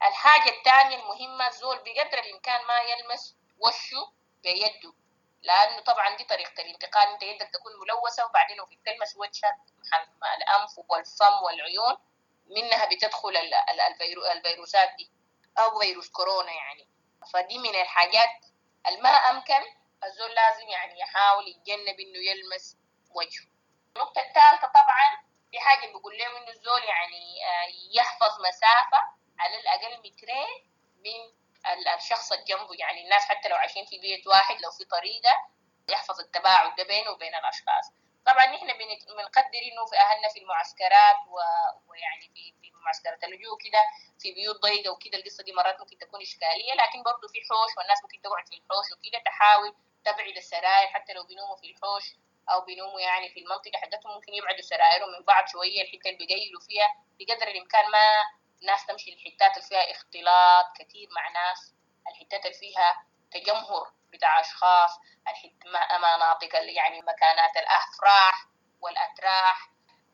الحاجة الثانية المهمة، الزول بقدر الإمكان ما يلمس وشه بيده، لأنه طبعا دي طريقة الانتقال، أنت يدك تكون ملوثة وبعدين وفي تلمس وجهك الأنف والفم والعيون، منها بتدخل الفيروسات دي أو فيروس كورونا يعني. فدي من الحاجات الما أمكن الزول لازم يعني يحاول يتجنب إنه يلمس وجهه. النقطة الثالثة طبعا في حاجة بيقول لهم إنه الزول يعني يحفظ مسافة على الأقل 2 متر من الشخص اللي جنبه، يعني الناس حتى لو عايشين في بيت واحد لو في طريقة يحفظ التباعد ده بينه وبين الأشخاص. طبعا نحن بنقدر إنه في أهلنا في المعسكرات ويعني في معسكرات اللجوء كده في بيوت ضيقة وكده، القصة دي مرات ممكن تكون إشكالية، لكن برضو في حوش والناس ممكن تقعد في الحوش وكده، تحاول تبعد السراير حتى لو بينوموا في الحوش أو بينوموا يعني في المنطقة حقتهم، ممكن يبعدوا سرايرهم من بعض شوية، الحتة اللي بيقيلوا فيها بقدر الإمكان ما الناس تمشي الحتات اللي فيها اختلاط كثير مع ناس، الحتات اللي فيها تجمهر بتاع أشخاص، مناطق يعني مكانات الأفراح والأتراح.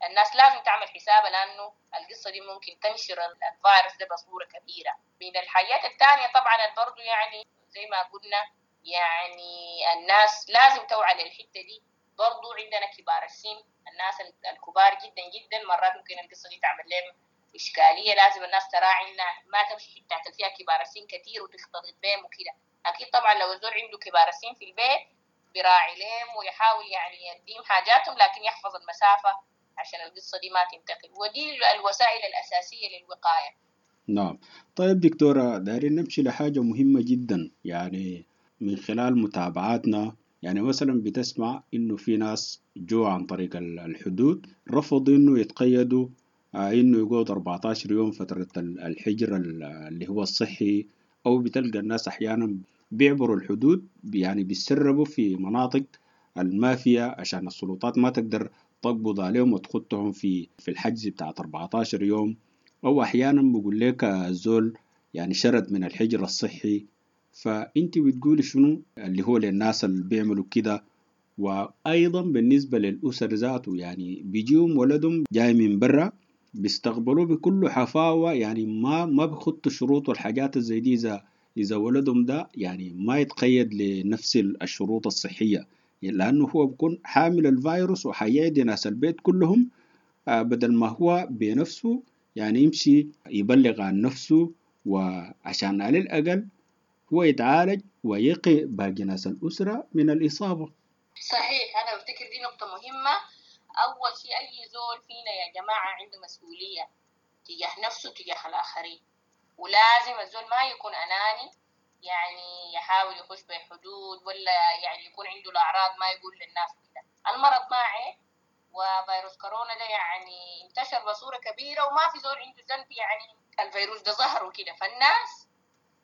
الناس لازم تعمل حسابها لأنه القصة دي ممكن تنشر الفيروس ده بصورة كبيرة. من الحاجات الثانية طبعا برضو يعني زي ما قلنا يعني الناس لازم توعى للحتة دي. برضو عندنا كبار السن، الناس الكبار جدا جدا مرات ممكن القصة دي تعمل لهم إشكالية، لازم الناس تراعي إنها ما تمشي حتات فيها كبار السن كتير وتختلط بهم وكده. أكيد طبعا لو الزول عنده كبار السن في البيت براعي لهم ويحاول يعني يديهم حاجاتهم، لكن يحفظ المسافة عشان القصة دي ما تنتقل. ودي الوسائل الأساسية للوقاية. نعم. طيب دكتورة، دايرين نمشي لحاجة مهمة جدا، يعني من خلال متابعاتنا، يعني مثلا بتسمع إنه في ناس جو عن طريق الحدود رفضوا إنه يتقيدوا، إنه يقعد 14 يوم فترة الحجر اللي هو الصحي، أو بتلقى الناس أحيانا بيعبروا الحدود، يعني بيسربوا في مناطق المافيا عشان السلطات ما تقدر تقبض عليهم وتخطهم في الحجز بتاعت 14 يوم، أو أحيانا بقول لك الزول يعني شرد من الحجر الصحي. فأنت بتقولي شنو اللي هو للناس اللي بيعملوا كده؟ وأيضا بالنسبة للأسر ذاته، يعني بيجيهم ولدهم جاي من برا بيستقبلوه بكل حفاوة، يعني ما بيخطوا شروط والحاجات زي دي. إذا ولدهم ده يعني ما يتقيد لنفس الشروط الصحية، لأنه هو بيكون حامل الفيروس وحيعدي ناس البيت كلهم، بدل ما هو بنفسه يعني يمشي يبلغ عن نفسه، وعشان على الأقل هو يتعالج ويقي باقي ناس الأسرة من الإصابة. صحيح، أنا بفتكر دي نقطة مهمة. أول شيء أي زول فينا يا جماعة عنده مسؤولية تجاه نفسه تجاه الآخرين. ولازم الزول ما يكون أناني، يعني يحاول يخش بحدود، ولا يعني يكون عنده الأعراض ما يقول للناس كده. المرض ما عيب، وفيروس كورونا ده يعني انتشر بصورة كبيرة وما في زول عنده ذنب، يعني الفيروس ده ظهر وكده. فالناس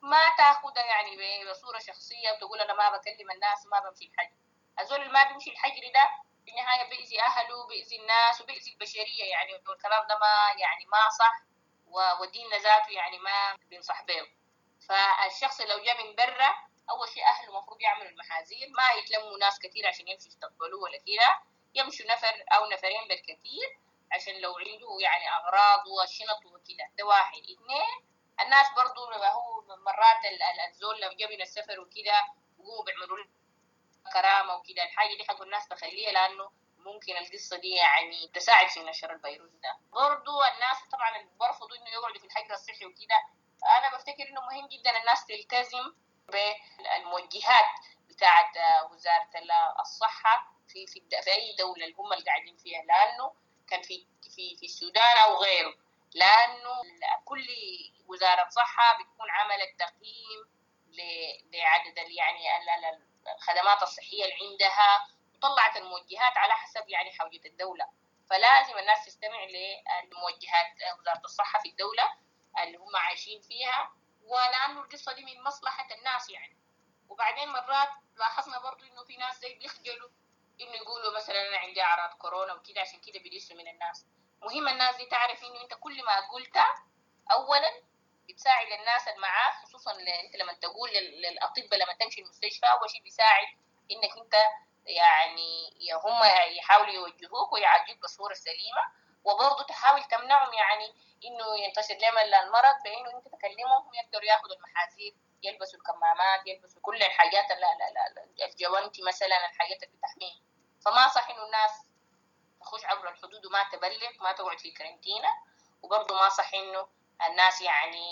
ما تاخدها يعني بصورة شخصية وتقول أنا ما بكلم الناس وما بمشي الحجر. الزول اللي ما بيمشي الحجر ده في النهاية بيأذي أهله، بيأذي الناس، وبيأذي البشرية يعني. والكلام ده ما يعني ما صح، وديننا ذاته يعني ما بينصح به. فالشخص لو جاء من برا، أول شيء أهله المفروض يعملوا المحاذير، ما يتلموا ناس كثير عشان يمشوا يستقبلوه ولا كده، يمشوا نفر أو نفرين بالكثير عشان لو عنده يعني أغراض وشنط وكده. ده واحد. اثنين، الناس برضو هو مرات الزول لو جاء من السفر وكده وهو بيعملوا كرامة وكده، الحاجة دي حق الناس تخليها، لأنه ممكن القصة دي يعني تساعد في نشر الفيروس ده. برضو الناس طبعا اللي برفضوا إنه يقعدوا في الحجر الصحي وكده، أنا بفتكر إنه مهم جدا الناس تلتزم بالموجهات بتاعت وزارة الصحة في في في أي دولة اللي هم اللي قاعدين فيها، لأنه كان في في في السودان أو غيره، لأنه كل وزارة صحة بتكون عملت تقييم لعدد يعني الخدمات الصحية اللي عندها، وطلعت الموجهات على حسب يعني حوجة الدولة. فلازم الناس تستمع للموجهات وزارة الصحة في الدولة اللي هم عايشين فيها، ولأنه القصة دي من مصلحة الناس يعني. وبعدين مرات لاحظنا برضو إنه في ناس زي بيخجلوا إنه يقولوا مثلا أنا عندي أعراض كورونا وكده، عشان كده بيدسوا من الناس. مهم الناس دي تعرف إنه أنت كل ما قلت أولا بتساعد الناس اللي معاك، خصوصا أنت لما تقول للأطباء لما تمشي المستشفى، أول شيء بيساعد إنك أنت يعني هم يحاولوا يوجهوك ويعالجوك بصورة سليمة، وبرضه تحاول تمنعهم يعني إنه ينتشر لهم المرض بإنه أنت تكلمهم يقدروا ياخذوا المحاذير، يلبسوا الكمامات، يلبسوا كل الحاجات الجوانتي مثلا، الحاجات اللي بتحميهم. فما صح إنه الناس تخش عبر الحدود وما تبلغ، ما تقعد في كارنتينا، وبرضه ما صح إنه الناس يعني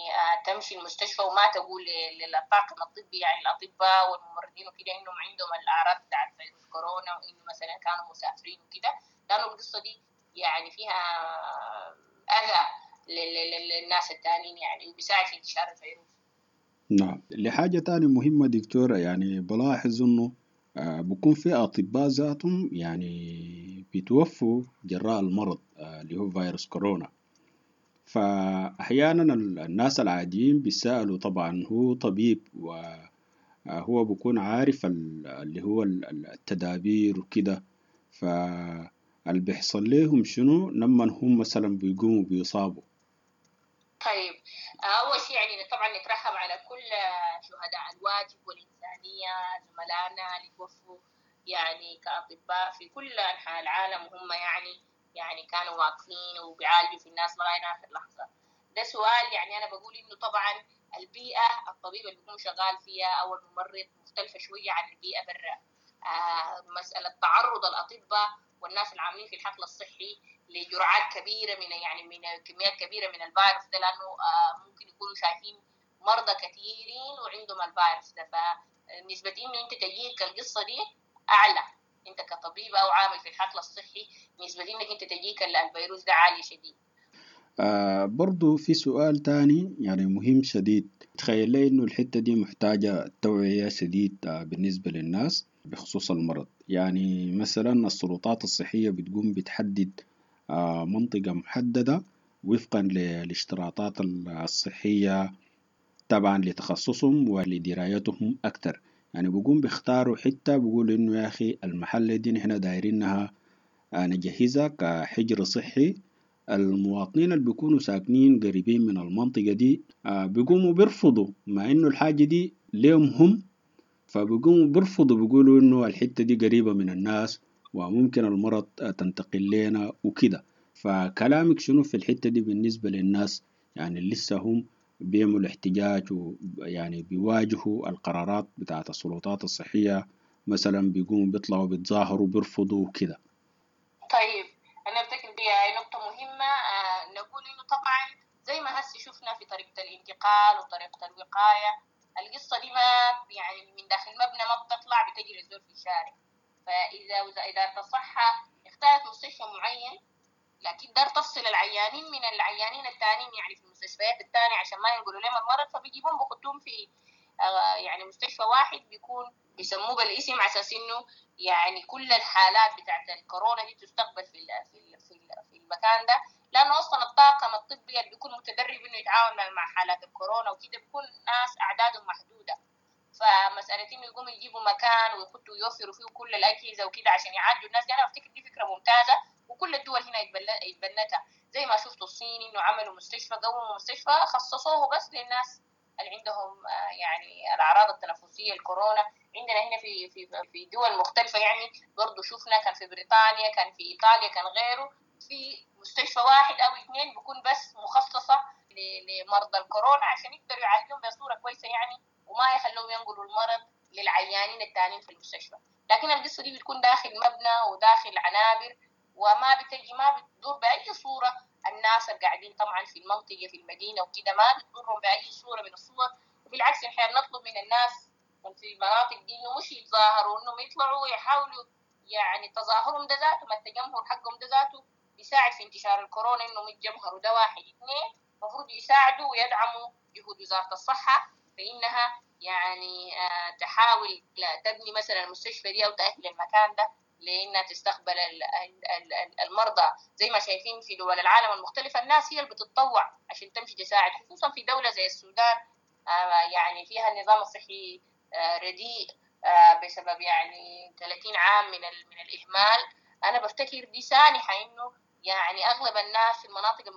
تمشي المستشفى وما تقول للطاقم الطبي يعني الأطباء والممرضين وكده إنهم عندهم الأعراض بتاعت فيروس كورونا وإنه مثلا كانوا مسافرين وكده، لأنه القصة دي يعني فيها أذى للناس التانيين يعني، وبيساعد في انتشار الفيروس. نعم. لحاجة تانية مهمة دكتورة، يعني بلاحظ إنه بكون في أطباء ذاتهم يعني بيتوفوا جراء المرض اللي هو فيروس كورونا. فأحيانا الناس العاديين بيسألوا، طبعا هو طبيب وهو بيكون عارف اللي هو التدابير وكده، فاللي بيحصل لهم شنو لما هم مثلا بيقوموا بيصابوا؟ طيب، أول شيء يعني طبعا نترحم على كل شهداء الواجب والإنسانية، زملائنا اللي توفوا يعني كأطباء في كل أنحاء العالم، وهم يعني كانوا واقفين وبيعالجوا في الناس لغاية آخر لحظة. ده سؤال يعني أنا بقول إنه طبعا البيئة الطبيب اللي بيكون شغال فيها أو الممرض مختلفة شوية عن البيئة برا. مسألة تعرض الأطباء والناس العاملين في الحقل الصحي لجرعات كبيرة من يعني من كميات كبيرة من الفيروس ده، لأنه ممكن يكونوا شايفين مرضى كثيرين وعندهم الفيروس ده، فنسبة إنه أنت تجيك القصة دي أعلى، أنت كطبيب أو عامل في الحقل الصحي نسبة إنك أنت تجيك الفيروس ده عالية شديد. برضو في سؤال تاني يعني مهم شديد، تخيل لي إنه الحتة دي محتاجة توعية شديد بالنسبة للناس بخصوص المرض. يعني مثلا السلطات الصحية بتقوم بتحدد منطقة محددة وفقا للاشتراطات الصحية طبعا لتخصصهم ولدرايتهم أكتر. يعني بيقوم بيختاروا حتة، بيقولوا إنه يا أخي المحل دي نحن دايرينها نجهزها كحجر صحي. المواطنين اللي بيكونوا ساكنين قريبين من المنطقة دي بيقوموا بيرفضوا، مع إنه الحاجة دي ليهم هم، فبيقوموا بيرفضوا، بيقولوا إنه الحتة دي قريبة من الناس وممكن المرض تنتقل لنا وكده. فكلامك شنو في الحتة دي بالنسبة للناس يعني لسه هم بيعملوا احتجاج ويعني بيواجهوا القرارات بتاعت السلطات الصحية، مثلا بيقوموا بيطلعوا بيتظاهروا بيرفضوا وكده؟ طيب، أنا أفتكر دي نقطة مهمة. نقول إنه طبعا زي ما هسي شفنا في طريقة الانتقال وطريقة الوقاية، القصة دي ما يعني من داخل مبنى ما بتطلع، بتجري الزول في الشارع. فإذا إدارة الصحة اختارت مستشفى معين لكن دار تفصل العيانين من العيانين التانيين يعني في المستشفيات التانية عشان ما ينقلوا لهم المرض، فبيجيبهم بخطوهم في يعني مستشفى واحد بيكون بيسموه بالاسم على اساس انه يعني كل الحالات بتاعت الكورونا دي تستقبل في في المكان ده، لانه اصلا الطاقم الطبي اللي بيكون متدرب انه يتعاون مع حالات الكورونا وكده بيكون ناس اعدادهم محدوده. فمسألة إنه يقوموا يجيبوا مكان ويحطوا ويوفروا فيه كل الأجهزة وكده عشان يعالجوا الناس دي، أنا أفتكر دي فكرة ممتازة، وكل الدول هنا يتبنتها، زي ما شفتوا الصين إنه عملوا مستشفى، قوموا مستشفى خصصوه بس للناس اللي عندهم يعني الأعراض التنفسية الكورونا. عندنا هنا في في في دول مختلفة يعني برضو شفنا، كان في بريطانيا، كان في إيطاليا، كان غيره، في مستشفى واحد أو اثنين بيكون بس مخصصة لمرضى الكورونا عشان يقدروا يعالجوهم بصورة كويسة يعني، وما يخلوهم ينقلوا المرض للعيانين التانيين في المستشفى. لكن القصة دي بتكون داخل مبنى وداخل عنابر، وما بتجي ما بتضر بأي صورة الناس اللي قاعدين طبعا في المنطقة في المدينة وكده، ما بتضرهم بأي صورة من الصور. وبالعكس نحن نطلب من الناس في المناطق دي إنه مش يتظاهروا، إنهم يطلعوا يحاولوا يعني تظاهرهم ده ذاته، ما التجمهر حقهم ده ذاته بيساعد في انتشار الكورونا، إنهم يتجمهروا. ده واحد. اثنين، المفروض يساعدوا ويدعموا جهود وزارة الصحة فإنها يعني تحاول تبني مثلا المستشفى دي أو تأهل المكان ده لأنها تستقبل المرضى. زي ما شايفين في دول العالم المختلفة الناس هي اللي بتتطوع عشان تمشي تساعد، خصوصا في دولة زي السودان يعني فيها النظام الصحي رديء بسبب يعني 30 عام من الإهمال. أنا بفتكر دي سانحة إنه يعني أغلب الناس في المناطق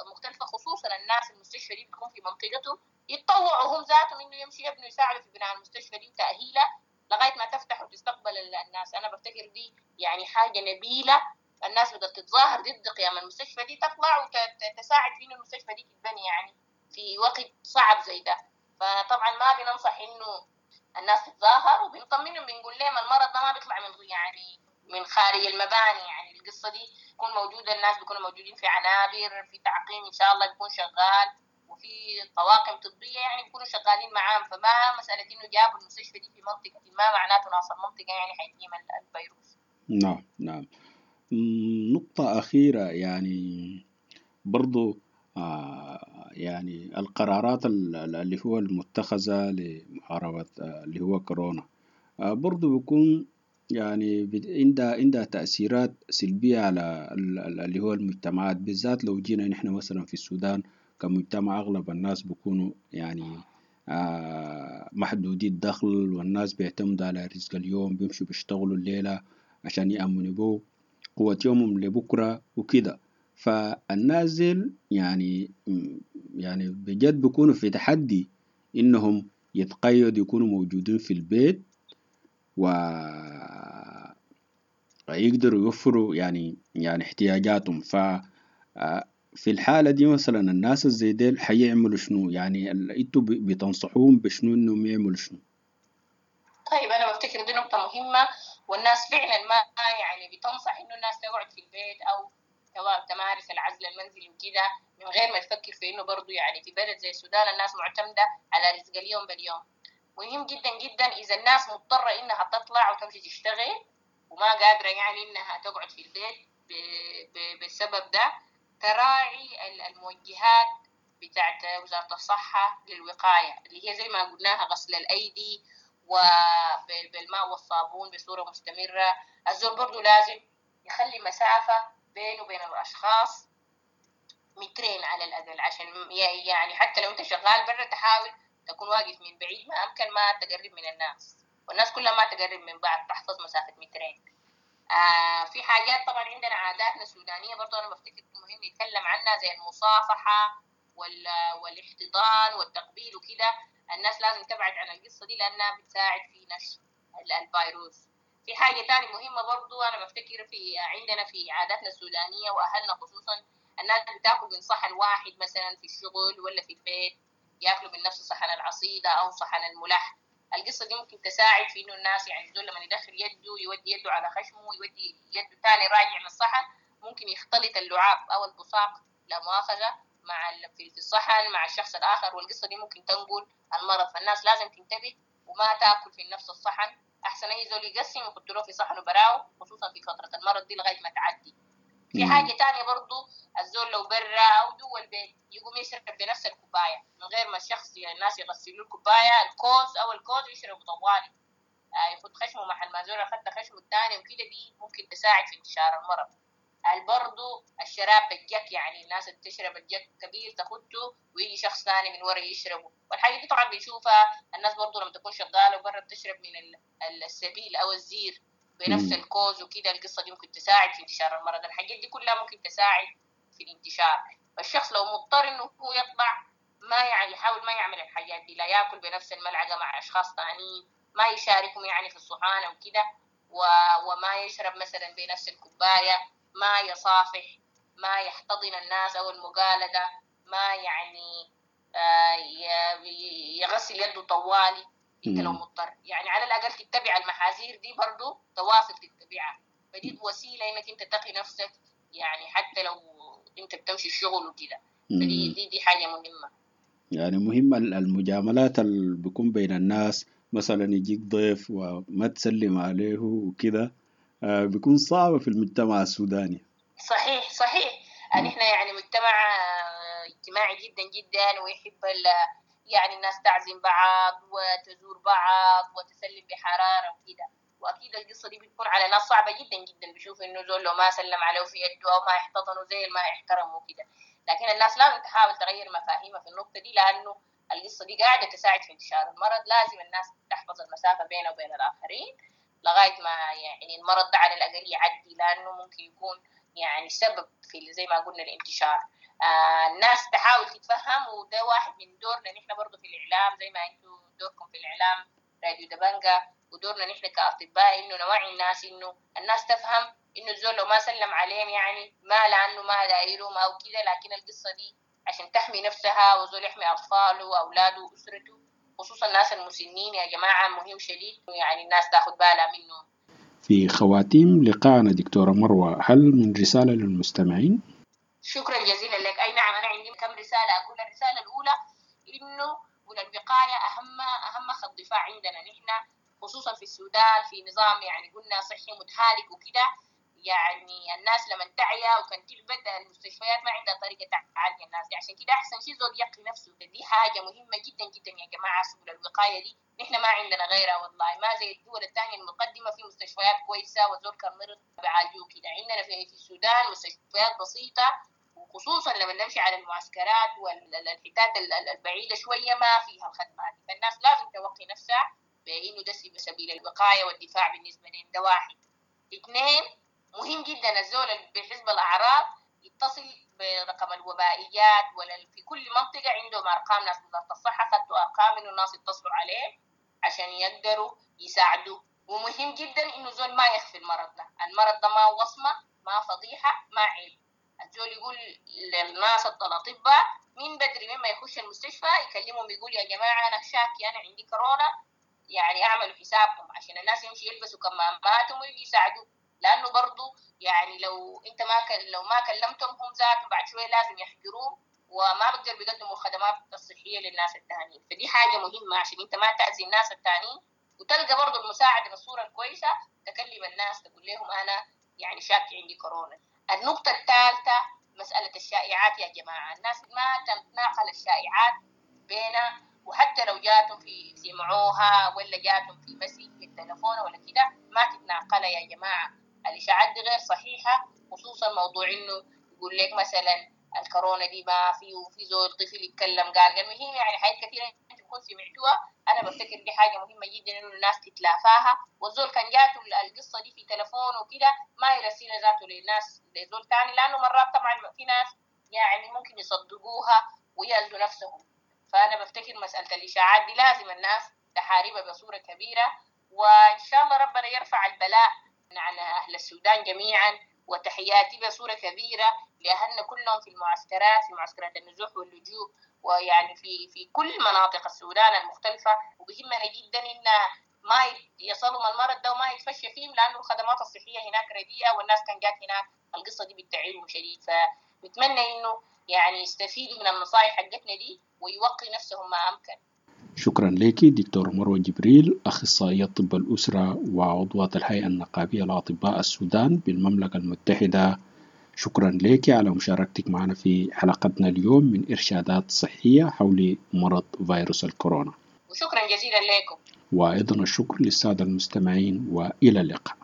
المختلفة خصوصا الناس المستشفى دي بتكون في منطقته يتطوعوا هم ذاتهم إنه يمشي يبنوا يساعدوا في بناء المستشفى دي وتأهيلها لغاية ما تفتح وتستقبل الناس. أنا بفتكر دي يعني حاجة نبيلة، الناس بدأت تتظاهر ضد قيام المستشفى دي، تطلع وتساعد في إنه المستشفى دي تتبني يعني في وقت صعب زي ده. فطبعا ما بننصح إنه الناس تتظاهر، وبنطمنهم بنقول لهم المرض ده ما بيطلع من يعني من خارج المباني، يعني القصة دي تكون موجودة، الناس بيكونوا موجودين في عنابر، في تعقيم إن شاء الله بيكون شغال، وفي طواقم طبية يعني بيكونوا شغالين معاهم. فما مسألة إنه جابوا المستشفى دي في منطقة ما معناته ناس المنطقة يعني حيتم الفيروس. نعم نعم. نقطة أخيرة يعني برضو يعني القرارات اللي هو المتخذة لمحاربة اللي هو كورونا برضو بيكون يعني عندها تأثيرات سلبية على اللي هو المجتمعات، بالذات لو جينا نحن مثلا في السودان كمجتمع أغلب الناس بيكونوا يعني محدودي الدخل، والناس بيعتمدوا على رزق اليوم، بيمشوا بيشتغلوا الليلة عشان يأمنوا به قوة يومهم لبكرة وكده. فالناس يعني بجد بيكونوا في تحدي إنهم يتقيدوا يكونوا موجودين في البيت ويقدروا يوفروا يعني احتياجاتهم. ف في الحالة دي مثلا الناس الزي ديل حيعملوا شنو؟ يعني انتوا بتنصحوهم بشنو انهم يعملوا شنو؟ طيب انا بفتكر دي نقطة مهمة، والناس فعلا ما يعني بتنصح انه الناس تقعد في البيت او تمارس العزل المنزلي وكده من غير ما تفكر في انه برضو يعني في بلد زي السودان الناس معتمدة على رزق اليوم باليوم. مهم جدا جدا اذا الناس مضطرة انها تطلع وتمشي تشتغل وما قادرة يعني انها تقعد في البيت بالسبب ده، تراعي الموجهات بتاعت وزارة الصحة للوقاية اللي هي زي ما قلناها غسل الأيدي وبالماء والصابون بصورة مستمرة. الزول برضو لازم يخلي مسافة بينه وبين الأشخاص 2 متر على الأقل، عشان يعني حتى لو أنت شغال برا تحاول تكون واقف من بعيد ما أمكن، ما تقرب من الناس، والناس كلها ما تقرب من بعض، تحفظ مسافة 2 متر. في حاجات طبعا عندنا عاداتنا السودانية برضو أنا بفتكر مهم نتكلم عنها زي المصافحة والاحتضان والتقبيل وكده. الناس لازم تبعد عن القصة دي لأنها بتساعد في نشر الفيروس. في حاجة تانية مهمة برضو أنا بفتكر في عندنا في عاداتنا السودانية وأهلنا خصوصا، الناس بتاكل من صحن واحد مثلا في الشغل ولا في البيت، ياكلوا من نفس صحن العصيدة أو صحن الملح. القصة دي ممكن تساعد في إنه الناس يعني دول لما يدخل يده يودي يده على خشمه ويودي يده تاني راجع من الصحن، ممكن يختلط اللعاب أو البصاق لا مؤاخذة مع في الصحن مع الشخص الآخر، والقصة دي ممكن تنقل المرض. فالناس لازم تنتبه وما تاكل في نفس الصحن، أحسن أي زول يقسم ويحط له في صحنه براو، خصوصا في فترة المرض دي لغاية ما تعدي. في حاجة تانية برضو، الزول لو برا أو جوا البيت يقوم يشرب بنفس الكوباية من غير ما الشخص يعني الناس يغسلوا الكوباية، الكوز أو الكوز يشربوا طوالي، يخد خشمه محل ما زول أخد خشمه الثاني وكده، دي ممكن تساعد في انتشار المرض. برضو الشراب بالجك، يعني الناس اللي بتشرب الجك كبير تاخده ويجي شخص ثاني من ورا يشربه، والحاجة دي طبعا بنشوفها الناس برضو لما تكون شغالة وبرا بتشرب من السبيل أو الزير بنفس الكوز وكده، القصة دي ممكن تساعد في انتشار المرض. الحاجات دي كلها ممكن تساعد في الانتشار. فالشخص لو مضطر انه هو يطلع ما يعني يحاول ما يعمل الحاجات دي، لا ياكل بنفس الملعقة مع اشخاص ثانيين، ما يشاركهم يعني في الصحانة وكده، وما يشرب مثلا بنفس الكوباية، ما يصافح، ما يحتضن الناس او المقالدة، ما يعني يغسل يده طوالي. انت لو مضطر يعني على الاقل تتبع المحاذير دي برضو، تواصل تتبعها، فدي وسيلة انك انت تقي نفسك يعني حتى لو انت بتمشي الشغل وكده، فدي دي, دي حاجة مهمة. يعني مهم المجاملات اللي بيكون بين الناس، مثلا يجيك ضيف وما تسلم عليه وكده، بيكون صعبة في المجتمع السوداني. صحيح صحيح، نحن يعني مجتمع اجتماعي جدا جدا، ويحب يعني الناس تعزم بعض وتزور بعض وتسلم بحرارة وكده، وأكيد القصة دي بتكون على ناس صعبة جدا جدا، بيشوف إنه زول لو ما سلم عليه في يده أو ما احتضنه زي ما احترمه وكده، لكن الناس لازم تحاول تغير مفاهيمها في النقطة دي، لأنه القصة دي قاعدة تساعد في انتشار المرض. لازم الناس تحفظ المسافة بينها وبين الآخرين لغاية ما يعني المرض ده على الأقل يعدي، لأنه ممكن يكون يعني سبب في زي ما قلنا الانتشار. الناس تحاول تتفهم، وده واحد من دورنا نحن برضو في الإعلام، زي ما أنتوا دوركم في الإعلام راديو دبنجة، ودورنا نحن كأطباء إنه نوعي الناس، إنه الناس تفهم إنه الزول لو ما سلم عليهم يعني ما لأنه ما دايرهم أو كده، لكن القصة دي عشان تحمي نفسها وزول يحمي أطفاله وأولاده وأسرته، خصوصا الناس المسنين يا جماعة، مهم شديد يعني الناس تاخد بالها منه. في خواتيم لقاءنا دكتورة مروة، هل من رسالة للمستمعين؟ شكرا جزيلا لك. أي نعم، أنا عندي كم رسالة أقول. الرسالة الأولى إنه الوقاية أهم خط دفاع عندنا نحن، خصوصا في السودان، في نظام يعني قلنا صحي متهالك وكده، يعني الناس لما تعيا وكان تعبت المستشفيات ما عندها طريقة تعالج الناس دي، عشان كده أحسن شيء زول يقي نفسه. دي حاجة مهمة جدا جدا يا جماعة، سبل الوقاية دي نحن ما عندنا غيرها والله، ما زي الدول الثانية المقدمة في مستشفيات كويسة وزول كان مرض بيعالجوه كده. عندنا في السودان مستشفيات بسيطة، وخصوصا لما نمشي على المعسكرات والحتات البعيدة شوية ما فيها الخدمات دي، فالناس لازم توقي نفسها بإنه ده سبيل الوقاية والدفاع بالنسبة لهم. ده واحد. اثنين، مهم جدا الزول اللي بيحس بالأعراض يتصل برقم الوبائيات، ولا في كل منطقة عندهم أرقام ناس وزارة الصحة خدوا أرقام إنه الناس يتصلوا عليه عشان يقدروا يساعدوا. ومهم جدا إنه زول ما يخفي المرض ده، المرض ده ما وصمة، ما فضيحة، ما عيب. الزول يقول للناس الأطباء من بدري مما يخش المستشفى يكلمهم، يقول يا جماعة أنا شاكي، أنا عندي كورونا، يعني أعملوا حسابكم، عشان الناس يمشي يلبسوا كماماتهم ويجي يساعدوا. لأنه برضو يعني لو أنت ما لو ما كلمتهم هم ذاتهم بعد شوية لازم يحجروهم وما بقدر بيقدموا الخدمات الصحية للناس التانيين. فدي حاجة مهمة عشان أنت ما تأذي الناس التانيين، وتلقى برضو المساعدة بالصورة الكويسة، تكلم الناس تقول لهم أنا يعني شاكي عندي كورونا. النقطة الثالثة مسألة الشائعات يا جماعة، الناس ما تتناقل الشائعات بينها، وحتى لو جاتهم في سمعوها ولا جاتهم في message في التلفون ولا كده ما تتناقلها يا جماعة. الإشاعات دي غير صحيحة، خصوصا موضوع إنه يقول لك مثلا الكورونا دي ما في، وفي زول طفل يتكلم قال المهم يعني حاجات كثيرة انت تكون سمعتوها. أنا بفتكر دي حاجة مهمة جدا إنه الناس تتلافاها، والزول كان جاته القصة دي في تلفون وكده ما يرسلها ذاته للناس لزول تاني، لأنه مرات طبعا في ناس يعني ممكن يصدقوها ويأذوا نفسهم. فأنا بفتكر مسألة الإشاعات دي لازم الناس تحاربها بصورة كبيرة، وإن شاء الله ربنا يرفع البلاء عن أهل السودان جميعا. وتحياتي بصورة كبيرة لأهلنا كلهم في المعسكرات، في معسكرات النزوح واللجوء، ويعني في كل مناطق السودان المختلفة. وبهمنا جدا إن ما يصلوا المرض ده وما يتفشى فيهم، لأنه الخدمات الصحية هناك رديئة، والناس كان جات هناك القصة دي بتعيبهم شديد. فنتمنى إنه يعني يستفيدوا من النصائح حقتنا دي ويوقي نفسهم ما أمكن. شكرا لك دكتور مروة جبريل، أخصائية طب الأسرة وعضوة الهيئة النقابية لأطباء السودان بالمملكة المتحدة شكرا لك على مشاركتك معنا في حلقتنا اليوم من إرشادات صحية حول مرض فيروس الكورونا. وشكرا جزيلا لكم. وأيضا الشكر للسادة المستمعين، وإلى اللقاء.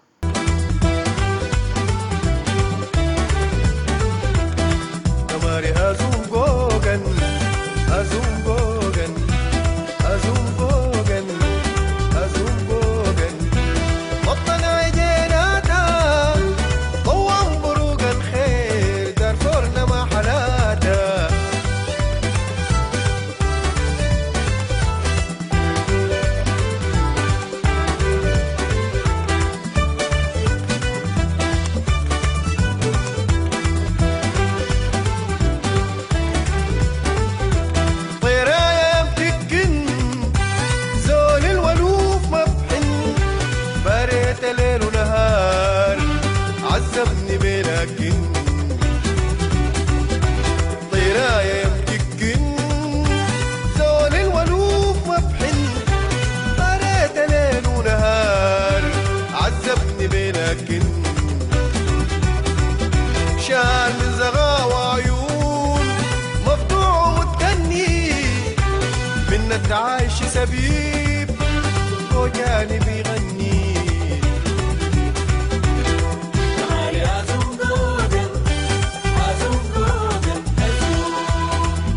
عايش سبيب وجاني بيغني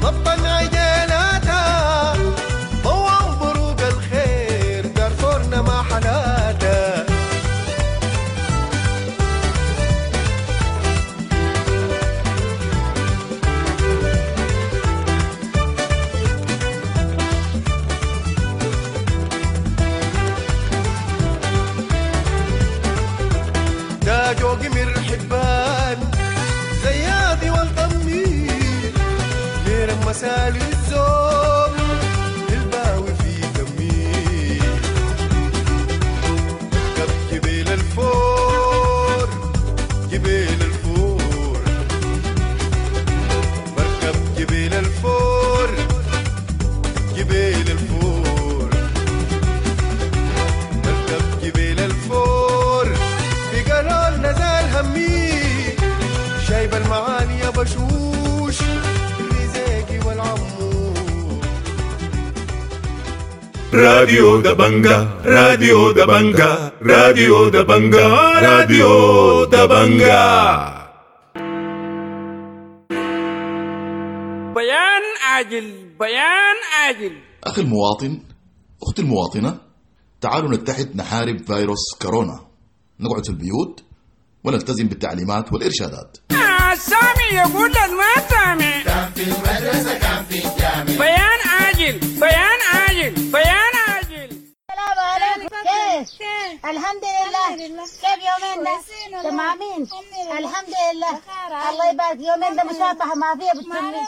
نبطن عجلاتها ضوء بروق الخير دارفورنا ما حلاتا. جوقي من حبان زيادي والطمي مير مسالي الزوم الباوي في دمي ركب جبيل الفور جبيل الفور بركب جبيل الفور جبيل الفور بركب جبيل الفور قالوا نزال همي شايب المعاني يا بشوش الرزاقي والعمو. راديو دبنجا، راديو دبنجا، راديو دبنجا، راديو دبنجا. بيان عاجل، بيان عاجل. أخي المواطن، أختي المواطنة، تعالوا نتحد نحارب فيروس كورونا. نقعد في البيوت ونلتزم بالتعليمات والإرشادات. سامي يقول ما سامي كان في المدرسة كان في الجامع. بيان عاجل، بيان عاجل، بيان عاجل. السلام عليكم. كيف؟ الحمد لله. كيف يومين ده؟ تمامين الحمد لله. الله يبارك. يومين ده مسافحة ما فيها بتسمي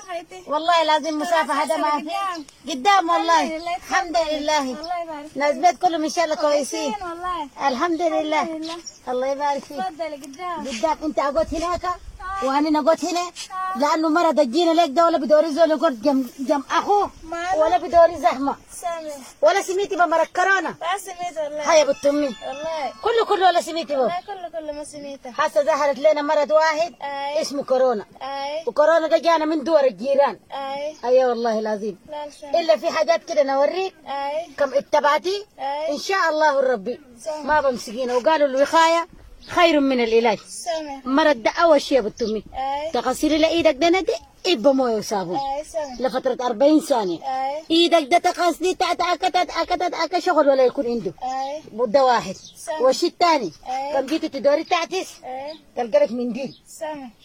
والله لازم مسافحة ده ما فيها قدام والله. الحمد لله. ناس بيت كلهم ان شاء الله كويسين الحمد لله. الله يبارك فيك. قدام. انت اقعد هناك وانا نقعد هنا لانه مرض جينا لك ده ولا بدوري زول يقعد جنب اخوه ولا بدوري زحمه ولا سميتي بمرض كورونا. ما سميت والله. هيا بنت امي والله كله ولا سميتي بو كله ما سميته. حاسه ظهرت لنا مرض واحد اسمه كورونا. وكورونا ده جانا من دول الجيران. ايوه والله العظيم. الا في حاجات كده نوريك كم اتبعتي ان شاء الله الربي ما بمسكينا. وقالوا الوقايه خير من العلاج. مرض ده اول شيء يا بنت امي تغسلي لايدك ده ندي بمويه وصابون لفترة 40 ثانية. ايدك ده تغسلي تتأكد شغل ولا يكون عنده ده واحد. والشيء الثاني كم جيتي تدوري تعتس تلقى لك منديل.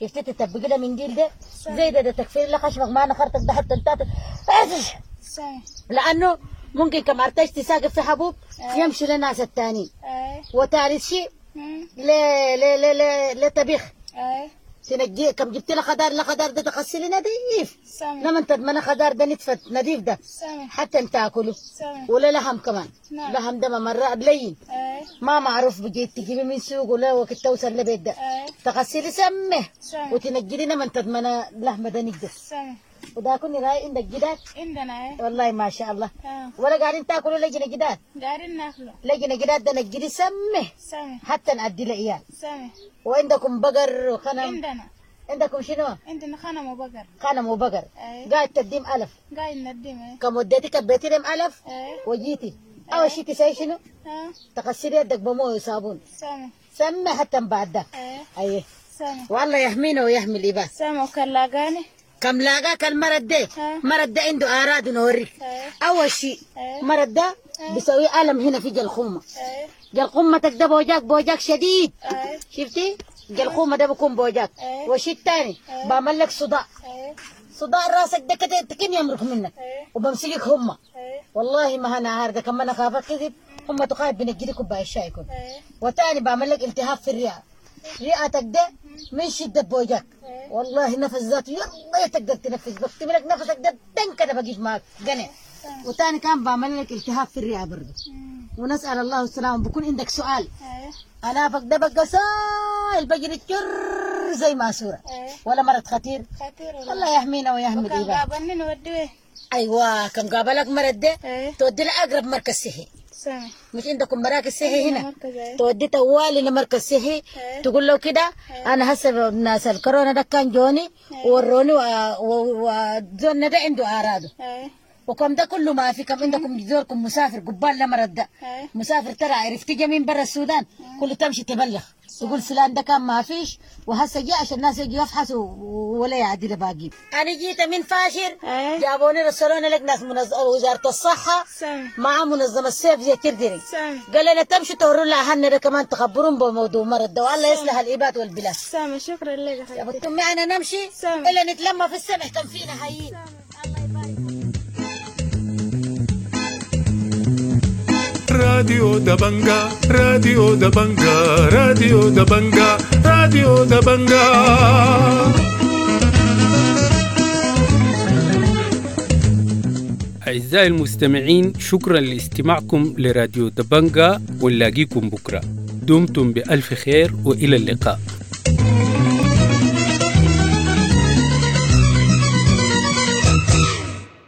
شفتي تطبقي له منديل ده زي ده تكفير لخشمك ما نخرتك ده حتى انت لانه ممكن كم ارتجتي تساقف في حبوب يمشي للناس الثانيين. وثالث شيء لا لا لا لا لا طبيخ. تنجي كم جبت لها خضار لا خضار ده تغسلي نظيف. لما تضمن خضار ده نتفت نظيف ده حتى انت تاكله. ولا لحم كمان. لحم ده مرة لين ما معروف بجيت تجيبي من سوق ولا وقت توصل لبيت ده تغسلي سمه وتنجي لنا من تضمن لحمه ده نجس. وده كني راي عندك جداد؟ عندنا ايه والله ما شاء الله. ولا قاعدين تاكلوا لجنة جداد؟ قاعدين ناكله لجنة جداد ده نجري سمه سمه حتى نعدي العيال سمه. وعندكم بقر وخنم؟ عندنا. عندكم شنو؟ عندنا خنم وبقر. غنم وبقر. أي. قاعد تديم ألف. قاعد نديم اي. كم وديتي كبيتي لهم ألف اي. وجيتي أول شيء تسوي شنو؟ ها. تغسلي يدك بمويه وصابون. سامع. سمي حتى بعد ده. اي. أيه. سامع. والله يحمينا ويحمي الإباد. سامع وكان لاقاني. كم لاقاك المرض ده؟ مرض ده عنده أعراض نوريك. اي. أول شيء أي. مرض ده بيسوي ألم هنا في جلخومة. اي. جلخومتك ده بوجاك بوجاك شديد. اي. شفتي؟ جلخومة ده بيكون بوجاك. أي. والشيء الثاني بعمل لك صداع. اي. صداع راسك ده كده تكن يمرك منك. اي. وبمسكك همة. اي. والله ما انا عارف ده كمان اخاف اكذب هم تخاف بنجي كوبايه الشاي يكون. اي. وتاني بعمل لك التهاب في الرئه. رئتك ده من شده بوجاك. والله نفس ذاته يلا تقدر تنفس بكتب لك نفسك ده دن كده بقيف معك قنع. وتاني كان بعمل لك التهاب في الرئه برضه. ونسال الله السلامه. بكون عندك سؤال. اي. انافك ده بقى سايل بجري جر زي ماسوره. اي. ولا مرض خطير. خطير والله. الله يحمينا ويحمي وكان العباد. قابلني نوديه. ايوه كم قابلك مرض ده اي. تودي لاقرب مركز صحي. سامع. مش عندكم مراكز صحي هنا؟ مركز اي. تودي طوالي لمركز صحي إيه. تقول له كده انا هسه ناس الكورونا ده كان جوني ووروني وزولنا ده عنده اعراضه. اي. وكم ده كله ما في. كم عندكم زوركم مسافر قبال لمرض ده اي. مسافر ترى عرفت جا من برا السودان كله تمشي تبلغ تقول فلان ده كان ما فيش وهسه جاء عشان الناس يجوا يفحصوا ولا يعدل باقي. انا جيت من فاشر اي. جابوني رسلوني لك ناس وزاره الصحه سامع. مع منظمه سيف زي تردري. سامع. قال لنا تمشوا توروا لها اهلنا ده كمان تخبرون بموضوع مرض ده والله يصلح العباد والبلاد. سامع شكرا لك يا يا خالتي. بنت امي انا نمشي سامع. الا نتلمى في السمح كم فينا حيين. راديو دبنجا راديو دبنجا راديو دبنجا راديو دبنجا. أعزائي المستمعين، شكرا لاستماعكم لراديو دبنجا، ونلاقيكم بكرة. دمتم بألف خير وإلى اللقاء.